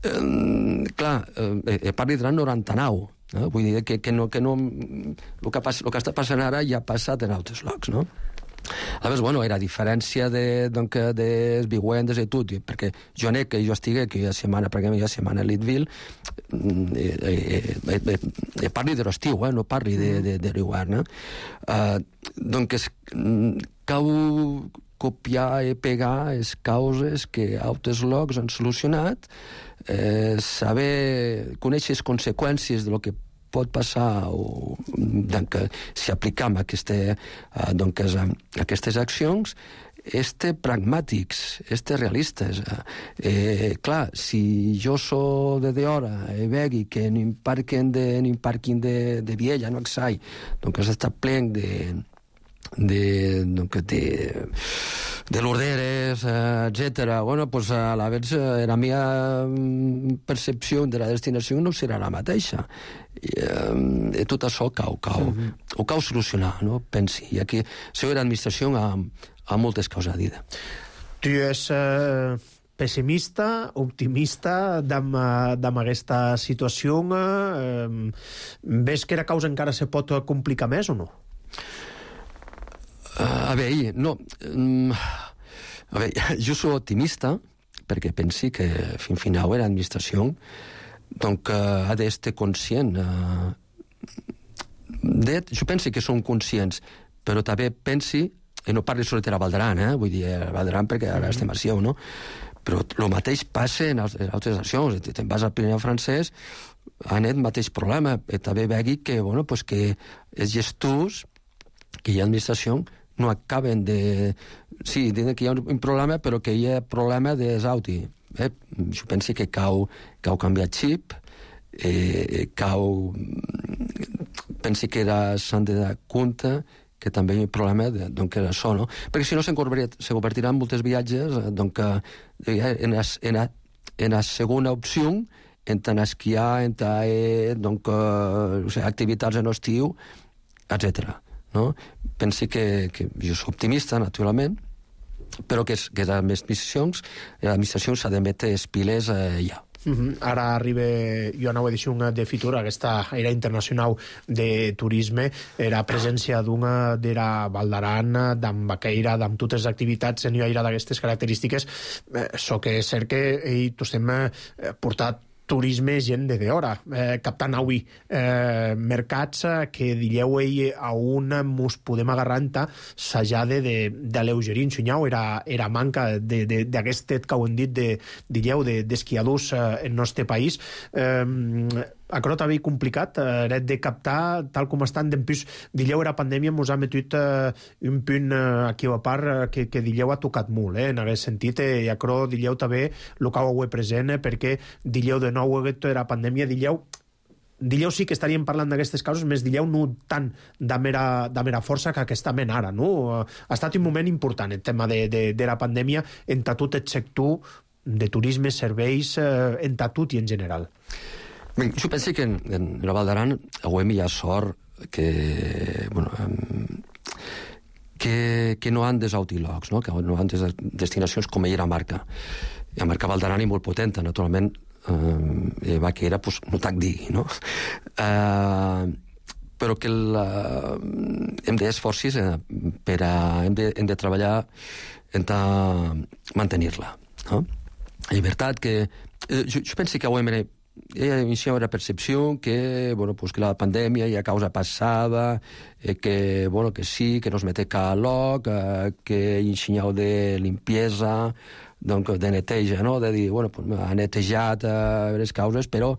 eh, clar, eh, parli de l'any noranta-nou, no? Vull dir que, que, no, que no, el que, pas, el que està passant ara ja ha passat en altres llocs, no? Aleshores, bueno, era a diferència de, doncs, des viuendes i tot, perquè jo anec, que jo estigui aquella setmana, perquè jo setmana a Leadville, eh, eh, eh, eh, parli de l'estiu, eh, no parli de, de, de l'hivern, eh? Uh, doncs cau copiar i pegar les causes que altres llocs han solucionat, eh, saber, conèixer les conseqüències de lo que pot passar o, doncs, si aplicam aquesta, eh, doncs, aquestes accions, este pragmàtics, este realistes. Eh, clar, si jo soc de d'hora i vegui que en un parking de, en un parking de, de Viella, no exai, doncs està plen de de, de, de l'orderes, etcètera. Bueno, pues a la vez la meva percepció de la destinació no serà la mateixa. I, eh, tot això cau, cau, mm-hmm. ho cau solucionar, no? Pensi. I aquí, la administració ha, ha moltes coses a dir. Tu és eh, pessimista, optimista damb, damb aquesta situació? Eh, ves que la causa encara se pot complicar més o no? Uh, a veure, no... Um, a veure, jo soc optimista, perquè pensi que fin final era administració, doncs uh, ha d'estar conscient. Uh, de, jo penso que són conscients, però també pensi, i no parli sobre de la Valdaran, eh? Vull dir, la Valdaran perquè ara estem a Sió, no? Però el mateix passa en altres nacions. Te'n vas al Pirineu francès, han el mateix problema. I també vegi que, bueno, pues que els gestors, que hi ha administració, no acaben de... Sí, diuen que hi ha un problema, però que hi ha problema de Sauti. Eh? Jo penso que cau, cau canviar xip, eh, cau... Penso que s'han de dar compte que també hi ha un problema de, doncs, que això, no? Perquè si no se convertiran moltes viatges doncs, en, la, en, la, en la segona opció, en tant esquiar, en tant eh, doncs, o sigui, activitats en estiu, etcètera. No? Pensi que, que jo soc optimista, naturalment, però que, que les administracions, l'administració s'ha de metre les piles eh, ja. Mm-hmm. Ara arriba, jo anava a dir un de Fitur, aquesta era internacional de turisme, era presència d'una d'era Valdaran, d'en Baqueira, d'en totes les activitats en aire d'aquestes característiques. Eh, so que és cert que eh, tots hem eh, portat turisme gent de d'hora, eh, captant avui eh, mercats eh, que dilleu ell a un mos podem agarrar enta s'ajade de, de l'eugerin xunyau, era, era manca d'aquest tet que ho hem dit de, dilleu d'esquiadors de, eh, en nostre país. Eh, Acrò també complicat, eh, de captar tal com estan. D'empús, dilleu era pandèmia, mos ha metut eh, un punt eh, aquí a part eh, que, que dilleu ha tocat molt, eh, en aquest sentit, eh, i acrò dilleu també el que ho he present, eh, perquè dilleu de nou era pandèmia, dilleu dilleu sí que estaríem parlant d'aquestes causes, més dilleu no tant de mera, de mera força que aquesta men ara, no? Ha estat un moment important el tema de, de, de la pandèmia en tot el sector de turisme, serveis, eh, en tot i en general. Bé, jo penso que en, en la Valdaran avui hi ha sort que, bueno, que, que no han des autilocs, no? Que no han des destinacions com era Marca. I a Marca Valdaran és molt potenta, naturalment, eh, va que era, pues, no t'hac digui, no? Eh, però que la, hem d'esforços eh, per a... Hem de, hem de treballar en mantenir-la, no? La veritat que... Eh, jo, jo penso que avui m'he Ella inició la percepció que, bueno, pues que la pandèmia ja causa passada, eh, que, bueno, que sí, que no es mete calor, eh, que ensenyau de limpiesa, doncs de neteja, no? De dir, bueno, pues ha netejat eh, les causes, però,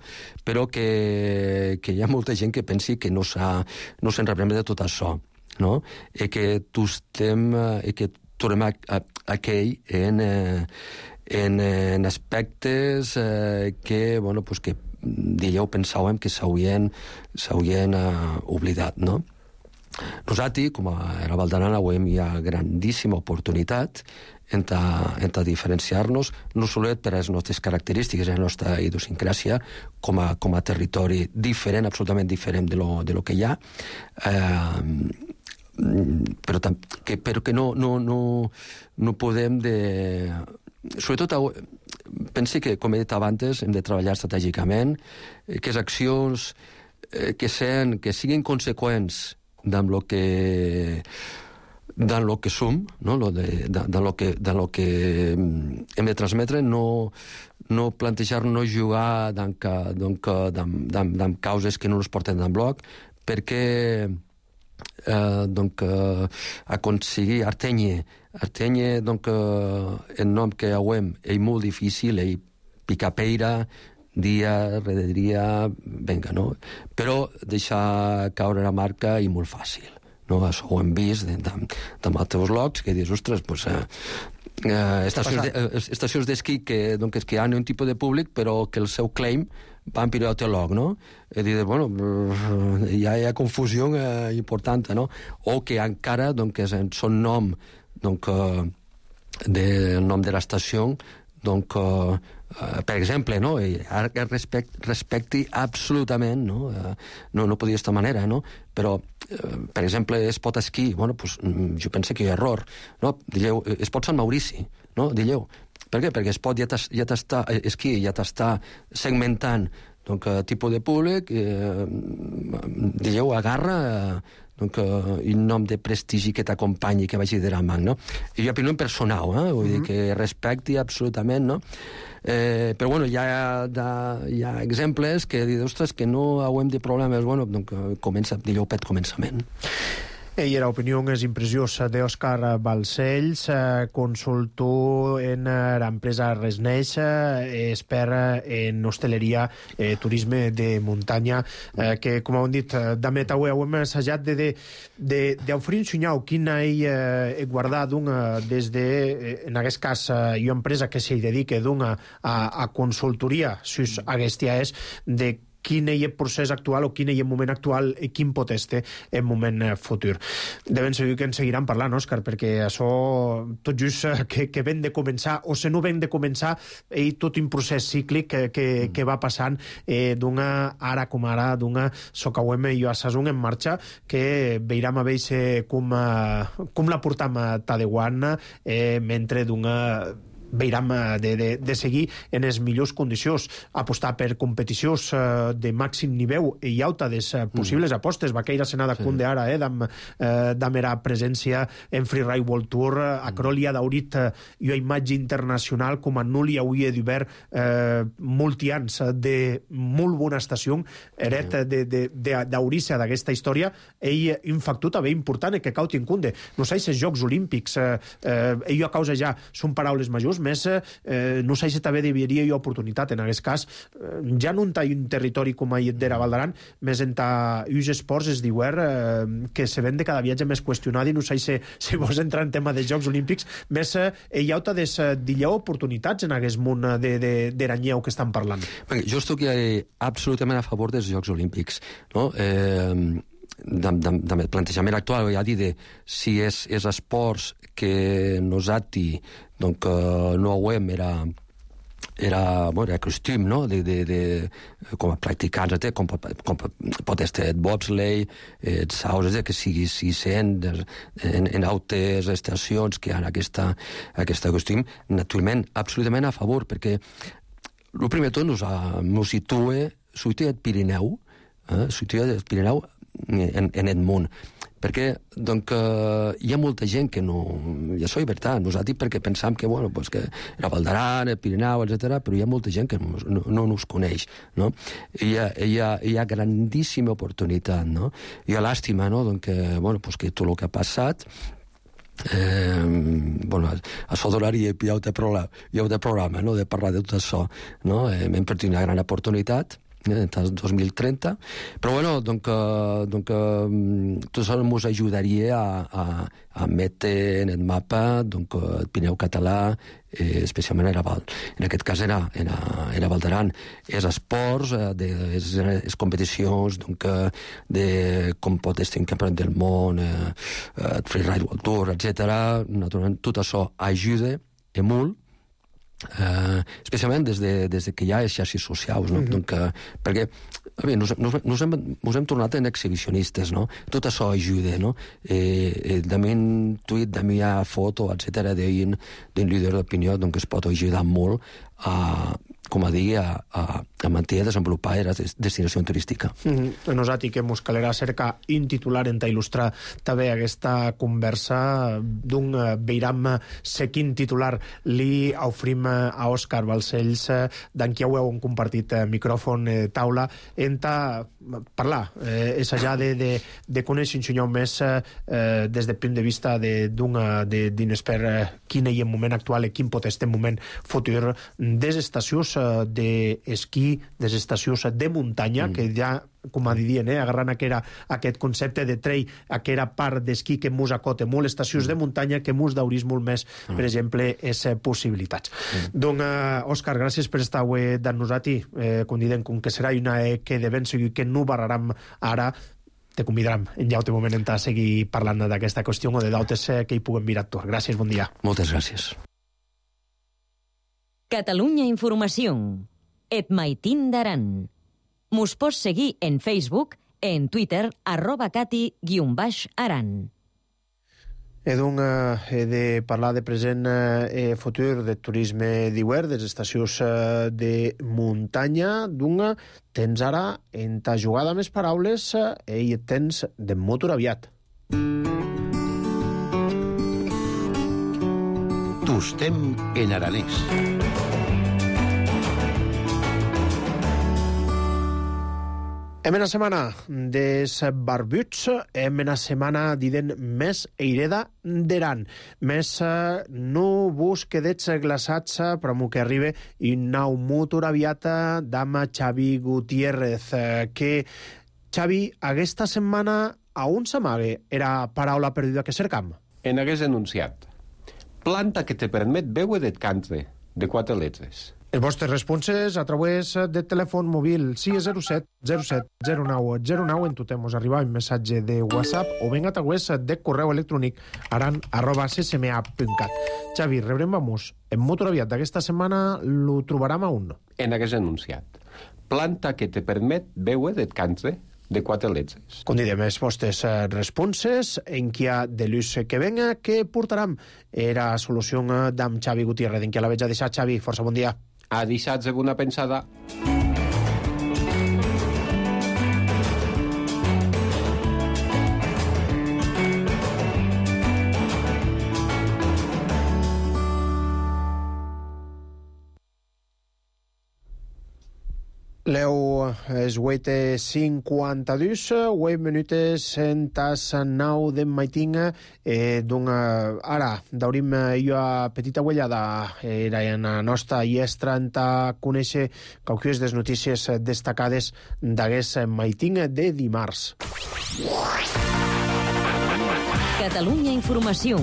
però que, que hi ha molta gent que pensi que no s'ha no se'n reprèn de tot això, no? I que tu estem, i que tornem a, a, a aquell en... Eh, En, en aspectes eh, que, bueno, pues que dieu pensàvem que s'haurien s'haurien uh, oblidat, no? Nosaltres, com a la Valdaran, avui hi ha grandíssima oportunitat en a diferenciar-nos, no solet per les nostres característiques, la nostra idiosincràsia, com a, com a territori diferent, absolutament diferent de lo, de lo que hi ha, eh, però, que, però que no, no, no, no podem de... Sobretot pensi que, com he dit abans, hem de treballar estratègicament, eh, que les accions eh, que, sen, que siguin conseqüents amb el que dans lo que som, no? Lo de, dans, dans, lo que, dans lo que hem de transmetre, no, no plantejar-nos jugar dans, donc, dans, dans, dans causes que no ens porten en bloc, perquè eh, donc, eh, aconseguir Artenye, Artenye, donc, eh, el nom que hauem és molt difícil, és picapeira, dia, rere dia, venga, no? Però deixar caure la marca és molt fàcil. No, això ho hem vist de, de, de altres locs, que dius, ostres, pues, eh, eh, estacions, de, eh, estacions d'esquí que, doncs, que hi ha un tipus de públic, però que el seu claim va en pilot el log, no? I dius, bueno, hi ha, hi ha confusió eh, important, no? O que encara, doncs, són nom, doncs, eh, del nom de l'estació, doncs, eh, Uh, per exemple, no? Respect, respecti absolutament, no? Uh, no, no podia d'esta manera, no? Però, uh, per exemple, es pot esquí, bueno, pues, jo penso que hi ha error, no? Dilleu, es pot Sant Maurici, no? Dilleu. Per què? Perquè es pot ja t'està, esquí ja t'està segmentant, donc, uh, tipus de públic, eh, dilleu, agarra... Uh, donc, uh, un nom de prestigi que t'acompanyi, que vagi de la mà, no? I jo opino en personal, eh? Vull mm-hmm. dir que respecti absolutament, no? Eh, però, bueno, hi ha, de, hi ha exemples que dius, ostres, que no hauem de problemes, bueno, doncs comença, digueu, pet començament. I era opinió és impressions d'Òscar Balcells, eh, consultor en eh, l'empresa Resneix, eh, expert en hosteleria, eh, turisme de muntanya, eh, que, com hem dit, damet avui hem assajat de, de, de, d'oferir un senyal quina ell eh, guardat una, des de, eh, en aquest cas, eh, una empresa que s'hi dedica d'una a, a consultoria, si aquesta és, de quin és el procés actual o quin és el moment actual i quin pot estar el moment futur. De ben segur que en seguiran parlant, Òscar, perquè això tot just que, que ven de començar, o se no ven de començar, és tot un procés cíclic que, que, que va passant eh, d'una ara com ara, d'una socauem i a Sasung en marxa, que veurem a veure com, com la portam a Taiwan, eh, mentre d'una... veurem de, de, de seguir en les millors condicions, apostar per competicions eh, de màxim nivell i alta des eh, possibles mm. apostes. Vaqueira Senada sí. Kunde ara, eh, d'am, eh, d'am era presència en Freeride World Tour, mm. Acrolia d'Aurit eh, i una imatge internacional com a Nuli avui d'hivern eh, multians de molt bona estació, eret mm. d'Aurissa d'aquesta història, ell un factor també important que cau Kunde. No sé si els Jocs Olímpics, eh, eh, ell a causa ja són paraules majors, més eh, no sé si també devia hi oportunitat en aquest cas, eh, ja no en un territori com a d'era Val d'Aran, més en uns esports es diu eh, que se ven de cada viatge més qüestionat i no sé si, si vols entrar en tema de Jocs Olímpics, més eh, hi ha des d'illa oportunitats en aquest món d'Eranyeu que estan parlant. Jo estic absolutament a favor dels Jocs Olímpics, no? Eh... del plantejament actual, ja dir de si és, és esports que nosaltres donc, no hauem era era, bueno, era costum, no? De, de, de, com a practicants, com, com pot estar el bobsleigh, el saus, que sigui si sent en, en altres estacions que hi ha aquesta, aquesta costum, naturalment, absolutament a favor, perquè el primer tot nos, nos situa, situa el Pirineu, eh? situa el Pirineu en, en el món, perquè donc, eh, hi ha molta gent que no... I això és veritat, nosaltres perquè pensam que, bueno, pues que era Val d'Aran, el Pirineu, etcètera, però hi ha molta gent que no, no, no nos coneix, no? I hi ha, hi ha, hi ha grandíssima oportunitat, no? Hi ha làstima, no? Donc, que, bueno, pues que tot el que ha passat Eh, bueno, això donaria hi ha un programa, hi ha un programa no? de parlar de tot això, no? Eh, hem perdut una gran oportunitat en el dos mil trenta, però bueno, donc, eh, donc, eh, tot això ens ajudaria a, a, a metre en el mapa donc, el Pirineu català, eh, especialment era Val. En aquest cas era, era, era Val d'Aran. És esports, eh, de, és, és competicions donc, de com pot estar en campionat del món, eh, eh, Freeride World Tour, etcètera. Naturalment, tot això ajuda i molt Uh, especialment des de, des de que hi ha les xarxes socials, no? Mm-hmm. Donc, uh, perquè a veure, nos, nos, nos, hem, nos hem tornat en exhibicionistes, no? Tot això ajuda, no? Eh, eh, també un tuit, també hi ha foto, etcètera, d'un líder d'opinió, doncs es pot ajudar molt a, com a dir, a, a, a mantenir a desenvolupar la destinació turística. Mm-hmm. Nosaltres que mos calerà cerca un titular en ta il·lustrar també aquesta conversa d'un veiram sequin titular li ofrim a Òscar Balcells, d'en qui heu compartit micròfon, eh, taula, en ta parlar, eh, és allà de, de, de conèixer un senyor més eh, des del punt de vista d'un expert eh, quin és el moment actual i quin pot estar el moment futur des estacions eh, d'esquí, des estacions de muntanya, mm. que ja com a dient, eh, agarrant aquera, aquest concepte de trail, aquera part d'esquí que mos acota molt, estacions de muntanya que mos daurís molt més, mm. per exemple, és possibilitats. Mm. Doncs, eh, Òscar, gràcies per estar avui d'en nosaltres, eh, com diem, com que serà una eh, que de ben seguir que no barraram ara, te convidaram en llaute moment a seguir parlant d'aquesta qüestió o de d'altres eh, que hi puguem mirar tot. Gràcies, bon dia. Moltes gràcies. Catalunya Informació. Et maitin d'Aran. Mos pots seguir en Facebook, en Twitter, arroba cati guion baix aran. He, doncs, he de parlar de present eh, futur de turisme d'hivern, de les estacions eh, de muntanya. Doncs, tens ara, en ta jugada més paraules, eh, i tens de motor aviat. Tostem en aranès. Hem en la setmana des barbuts, hem en la setmana diden més eireda d'Aran, més eh, no busquedets glaçats, però mo que arriba un nou motor aviat d'ama Xavi Gutiérrez, eh, que Xavi, aquesta setmana a on s'amague era paraula perduda que cercam? En hagués enunciat. Planta que te permet veure d'et cantre, de quatre lletres. Els vostres responses a través de telèfon mòbil sis zero set zero set zero nou zero nou, en totem us arriba un missatge de WhatsApp o ben a través de correu electrònic aran arroba c s m a punt cat. Xavi, rebrem vamos. En motor aviat d'aquesta setmana lo trobarem a un. En hagués enunciat. Planta que te permet veure d'et cantre, de quatre lletres. Com diem, els vostres responses en qui ha de l'ús que venga, que portaram era solució d'am Xavi Gutiérrez, en qui la veig a deixar. Xavi, força bon dia. A deixar-se una pensada. Leu es vuit cinquanta-dos, vuit minutes en tas nou de maitinga. Eh, donc, ara, daurim jo a petita uellada era en la nostra iestra en ta conèixer qualques des notícies destacades d'aguest maitinga de dimarts. Catalunya Informació.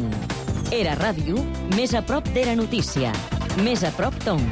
Era ràdio, més a prop d'era notícia. Més a prop ton.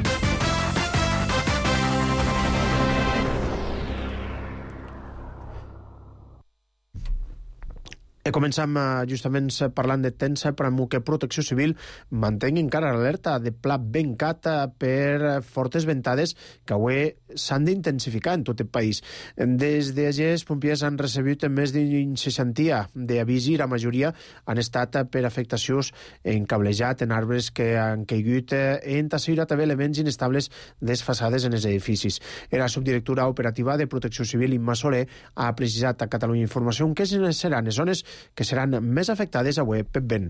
E començam justament parlant de temps, però amb que Protecció Civil manté encara l'alerta de pla bencat per fortes ventades que avui s'han d'intensificar en tot el país. Des d'ahir els pompiers han rebut més d'una seixantia d'avisi, la majoria han estat per afectacions en cablejat, en arbres que han caigut, en tasseira també elements inestables desfasades en els edificis. La subdirectora operativa de Protecció Civil, Imma Soler, ha precisat a Catalunya Informació que seran les zones que seran més afectades avui per vent.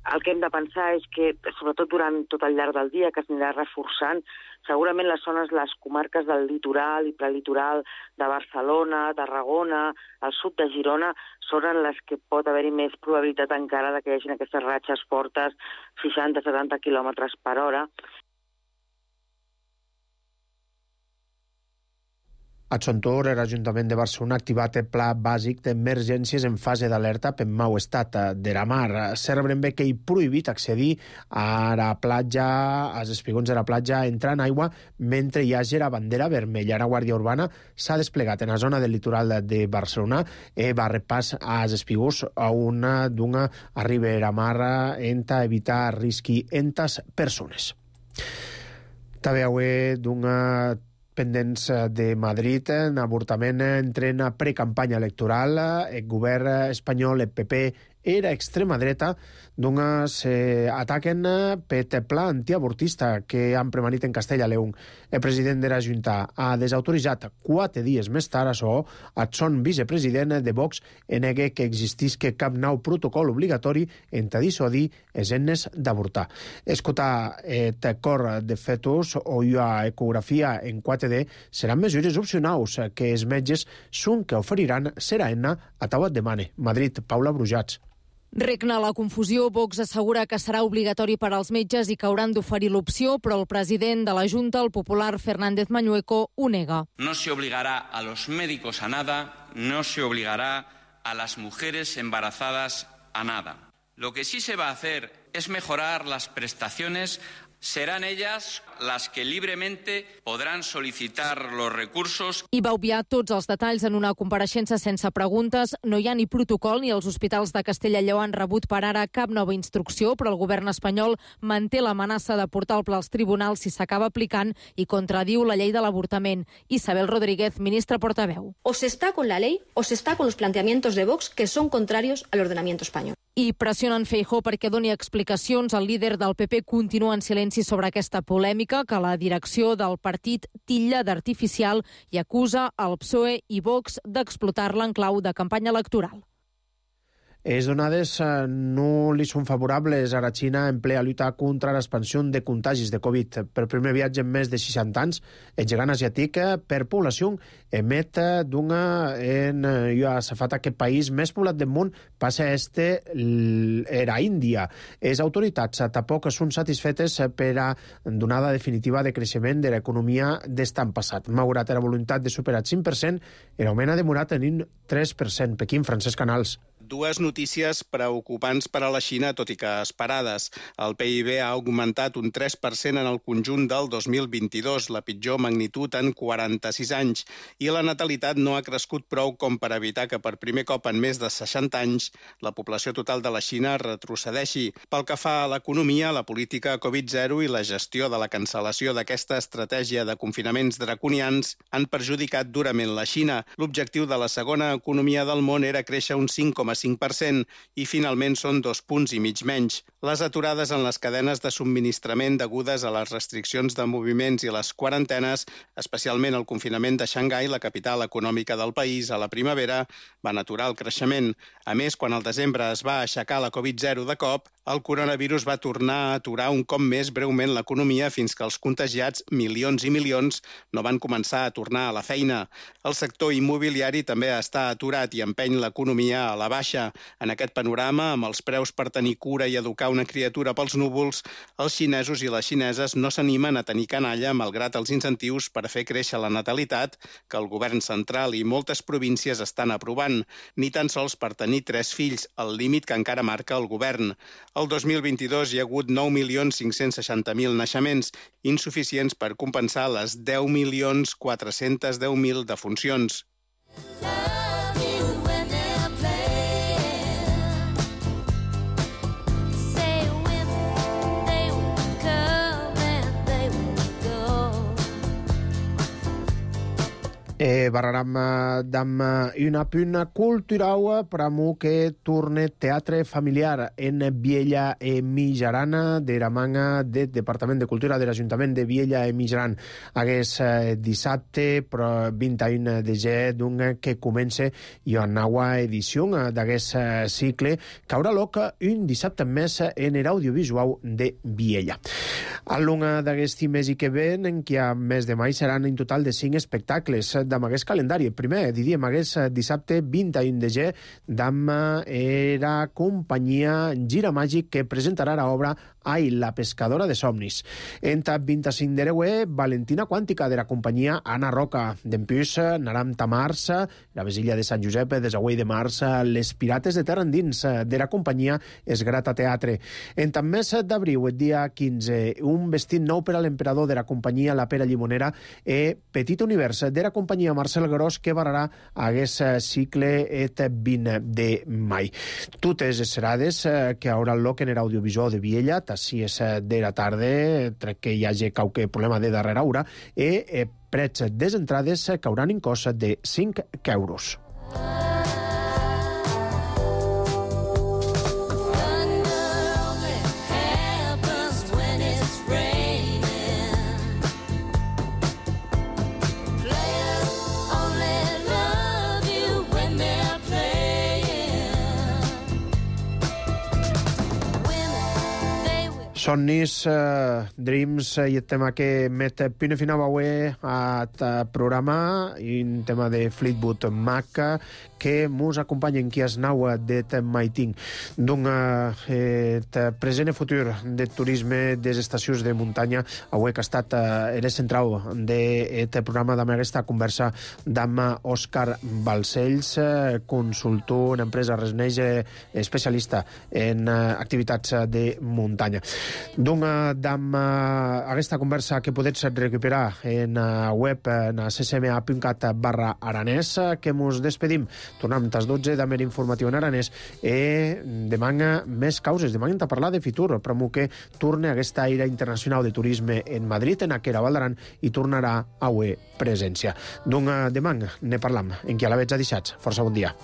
El que hem de pensar és que, sobretot durant tot el llarg del dia, que s'anirà reforçant, segurament les zones, les comarques del litoral i prelitoral de Barcelona, Tarragona, al sud de Girona, són les que pot haver-hi més probabilitat encara de que hi hagi aquestes ratxes fortes, seixanta a setanta quilòmetres per hora. A son torn, l'Ajuntament de Barcelona ha activat el pla bàsic d'emergències en fase d'alerta per mau estat de la mar. Serbrem bé que hi prohibit accedir a la platja, als espigons de la platja, entrar en aigua mentre hi hagi la bandera vermella. La Guàrdia Urbana s'ha desplegat en la zona del litoral de Barcelona i va repàs als espigons a una d'una arriba a la mar en evitar risc en tas persones. També avui d'una pendents de Madrid, en avortament entrena precampanya electoral. El govern espanyol, el P P, era extrema dreta, doncs eh, ataquen per pla antiavortista que han premanit en Castella León. El president de la Junta ha desautoritzat quatre dies més tard això. El son vicepresident de Vox nega que existisca cap nou protocol obligatori en dissuadir els ennes d'avortar. Escoltar el cor de fetus o ecografia en quatre D seran mesures opcionals que els metges són que oferiran serà enna a Tauat de Mane. Madrid, Paula Brujats. Regna la confusió. Vox assegura que serà obligatori per als metges i que hauran d'oferir l'opció, però el president de la Junta, el popular Fernández Mañueco, ho nega. No se obligará a los médicos a nada, no se obligará a las mujeres embarazadas a nada. Lo que sí se va a hacer es mejorar las prestaciones. Serán ellas las que libremente podran solicitar los recursos. I va obviar tots els detalls en una compareixença sense preguntes. No hi ha ni protocol ni els hospitals de Castella i Lleó han rebut per ara cap nova instrucció, però el govern espanyol manté l'amenaça de portar el pla als tribunals si s'acaba aplicant i contradiu la llei de l'avortament. Isabel Rodríguez, ministra portaveu. O se está con la ley o se está con los planteamientos de Vox que son contrarios al ordenamiento español. I pressionen Feijóo perquè doni explicacions. El líder del P P continua en silenci sobre aquesta polèmica que la direcció del partit titlla d'artificial i acusa el P S O E i Vox d'explotar-la en clau de campanya electoral. Les donades no li són favorables a la Xina en ple a lluitar contra l'expansió de contagis de Covid. Per primer viatge en més de seixanta anys, el gegant asiàtic per població emet d'una en ja s'ha fet aquest país més poblat del món passa a este era Índia. Les autoritats tampoc són satisfetes per a donada definitiva de creixement de l'economia d'estan passat. Malgrat la voluntat de superar el cinc per cent, l'augment ha demorat en un tres per cent. Pequín, Francesc Canals. Dues notícies preocupants per a la Xina, tot i que esperades. El P I B ha augmentat un tres per cent en el conjunt del dos mil vint-i-dos, la pitjor magnitud en quaranta-sis anys, i la natalitat no ha crescut prou com per evitar que per primer cop en més de seixanta anys la població total de la Xina retrocedeixi. Pel que fa a l'economia, la política Covid zero i la gestió de la cancel·lació d'aquesta estratègia de confinaments draconians han perjudicat durament la Xina. L'objectiu de la segona economia del món era créixer un cinc coma cinc per cent i finalment són dos punts i mig menys. Les aturades en les cadenes de subministrament degudes a les restriccions de moviments i les quarantenes, especialment el confinament de Xangai, la capital econòmica del país, a la primavera, van aturar el creixement. A més, quan al desembre es va aixecar la Covid zero de cop, el coronavirus va tornar a aturar un cop més breument l'economia fins que els contagiats, milions i milions, no van començar a tornar a la feina. El sector immobiliari també està aturat i empeny l'economia a la baixa. En aquest panorama, amb els preus per tenir cura i educar una criatura pels núvols, els xinesos i les xineses no s'animen a tenir canalla malgrat els incentius per fer créixer la natalitat que el govern central i moltes províncies estan aprovant, ni tan sols per tenir tres fills, el límit que encara marca el govern. El dos mil vint-i-dos hi ha hagut nou milions cinc-cents seixanta mil naixements, insuficients per compensar les deu milions quatre-cents deu mil defuncions. E barraram dam una puna cultural pramu que torne teatre familiar en Viella e Mijaran de la manga del Departament de Cultura de l'Ajuntament de Viella e Mijaran. Hagués dissabte vint i un de gener d'un que comença i una nova edició d'aquest cicle que haurà lloc un dissabte més en l'audiovisual de Viella. A l'una d'aquests mes i que ven, en què a mes de maig seran en total de cinc espectacles d'am aquest calendari. El primer, diríem, aquest dissabte vint i un de gener, d'am era companyia Gira Màgic que presentarà l'obra Ai, la pescadora de somnis. Entre vint-i-cinc de gener, Valentina Quàntica de la companyia Anna Roca. D'empús, Naram Tamars, la Vesilla de Sant Josep, Desagüell de Mars, Les Pirates de Terra Endins de la companyia Esgrata Teatre. En tant mes d'abril, el dia quinze, un un vestit nou per a l'emperador de la companyia La Pera Llimonera e Petit Univers de la companyia Marcel Gros que vararà aguest cicle et vint de mai. Totes les serades que haurà el loc en l'audiovisual de Viella, tassi és de la tarda, trec que hi hagi qualque problema de darrera hora, e prets des entrades que hauran en cost de cinc euros. Somnis, uh, Dreams i el tema que met punt final avui al programa i un tema de Fleetwood Mac que mos acompanyen qui es nau d'et maiting d'un eh, present i futur de turisme des estacions de muntanya avui que ha estat eh, el central d'aquest programa d'amb aquesta conversa d'amb Òscar Balcells, eh, consultor en empresa Resneix, eh, especialista en eh, activitats de muntanya. Doncs d'amb aquesta conversa que podets recuperar en uh, web en ccma punt cat barra aranès, que mos despedim. Tornem a les dotze d'Amer Informatiu en aranès i demana més causes, demanen a parlar de Fitur, però que torna aquesta Aire Internacional de Turisme en Madrid, en aquella Val d'Aran, i tornarà a avui presència. Doncs demà ne parlam, en qui a la veig a deixats. Força bon dia.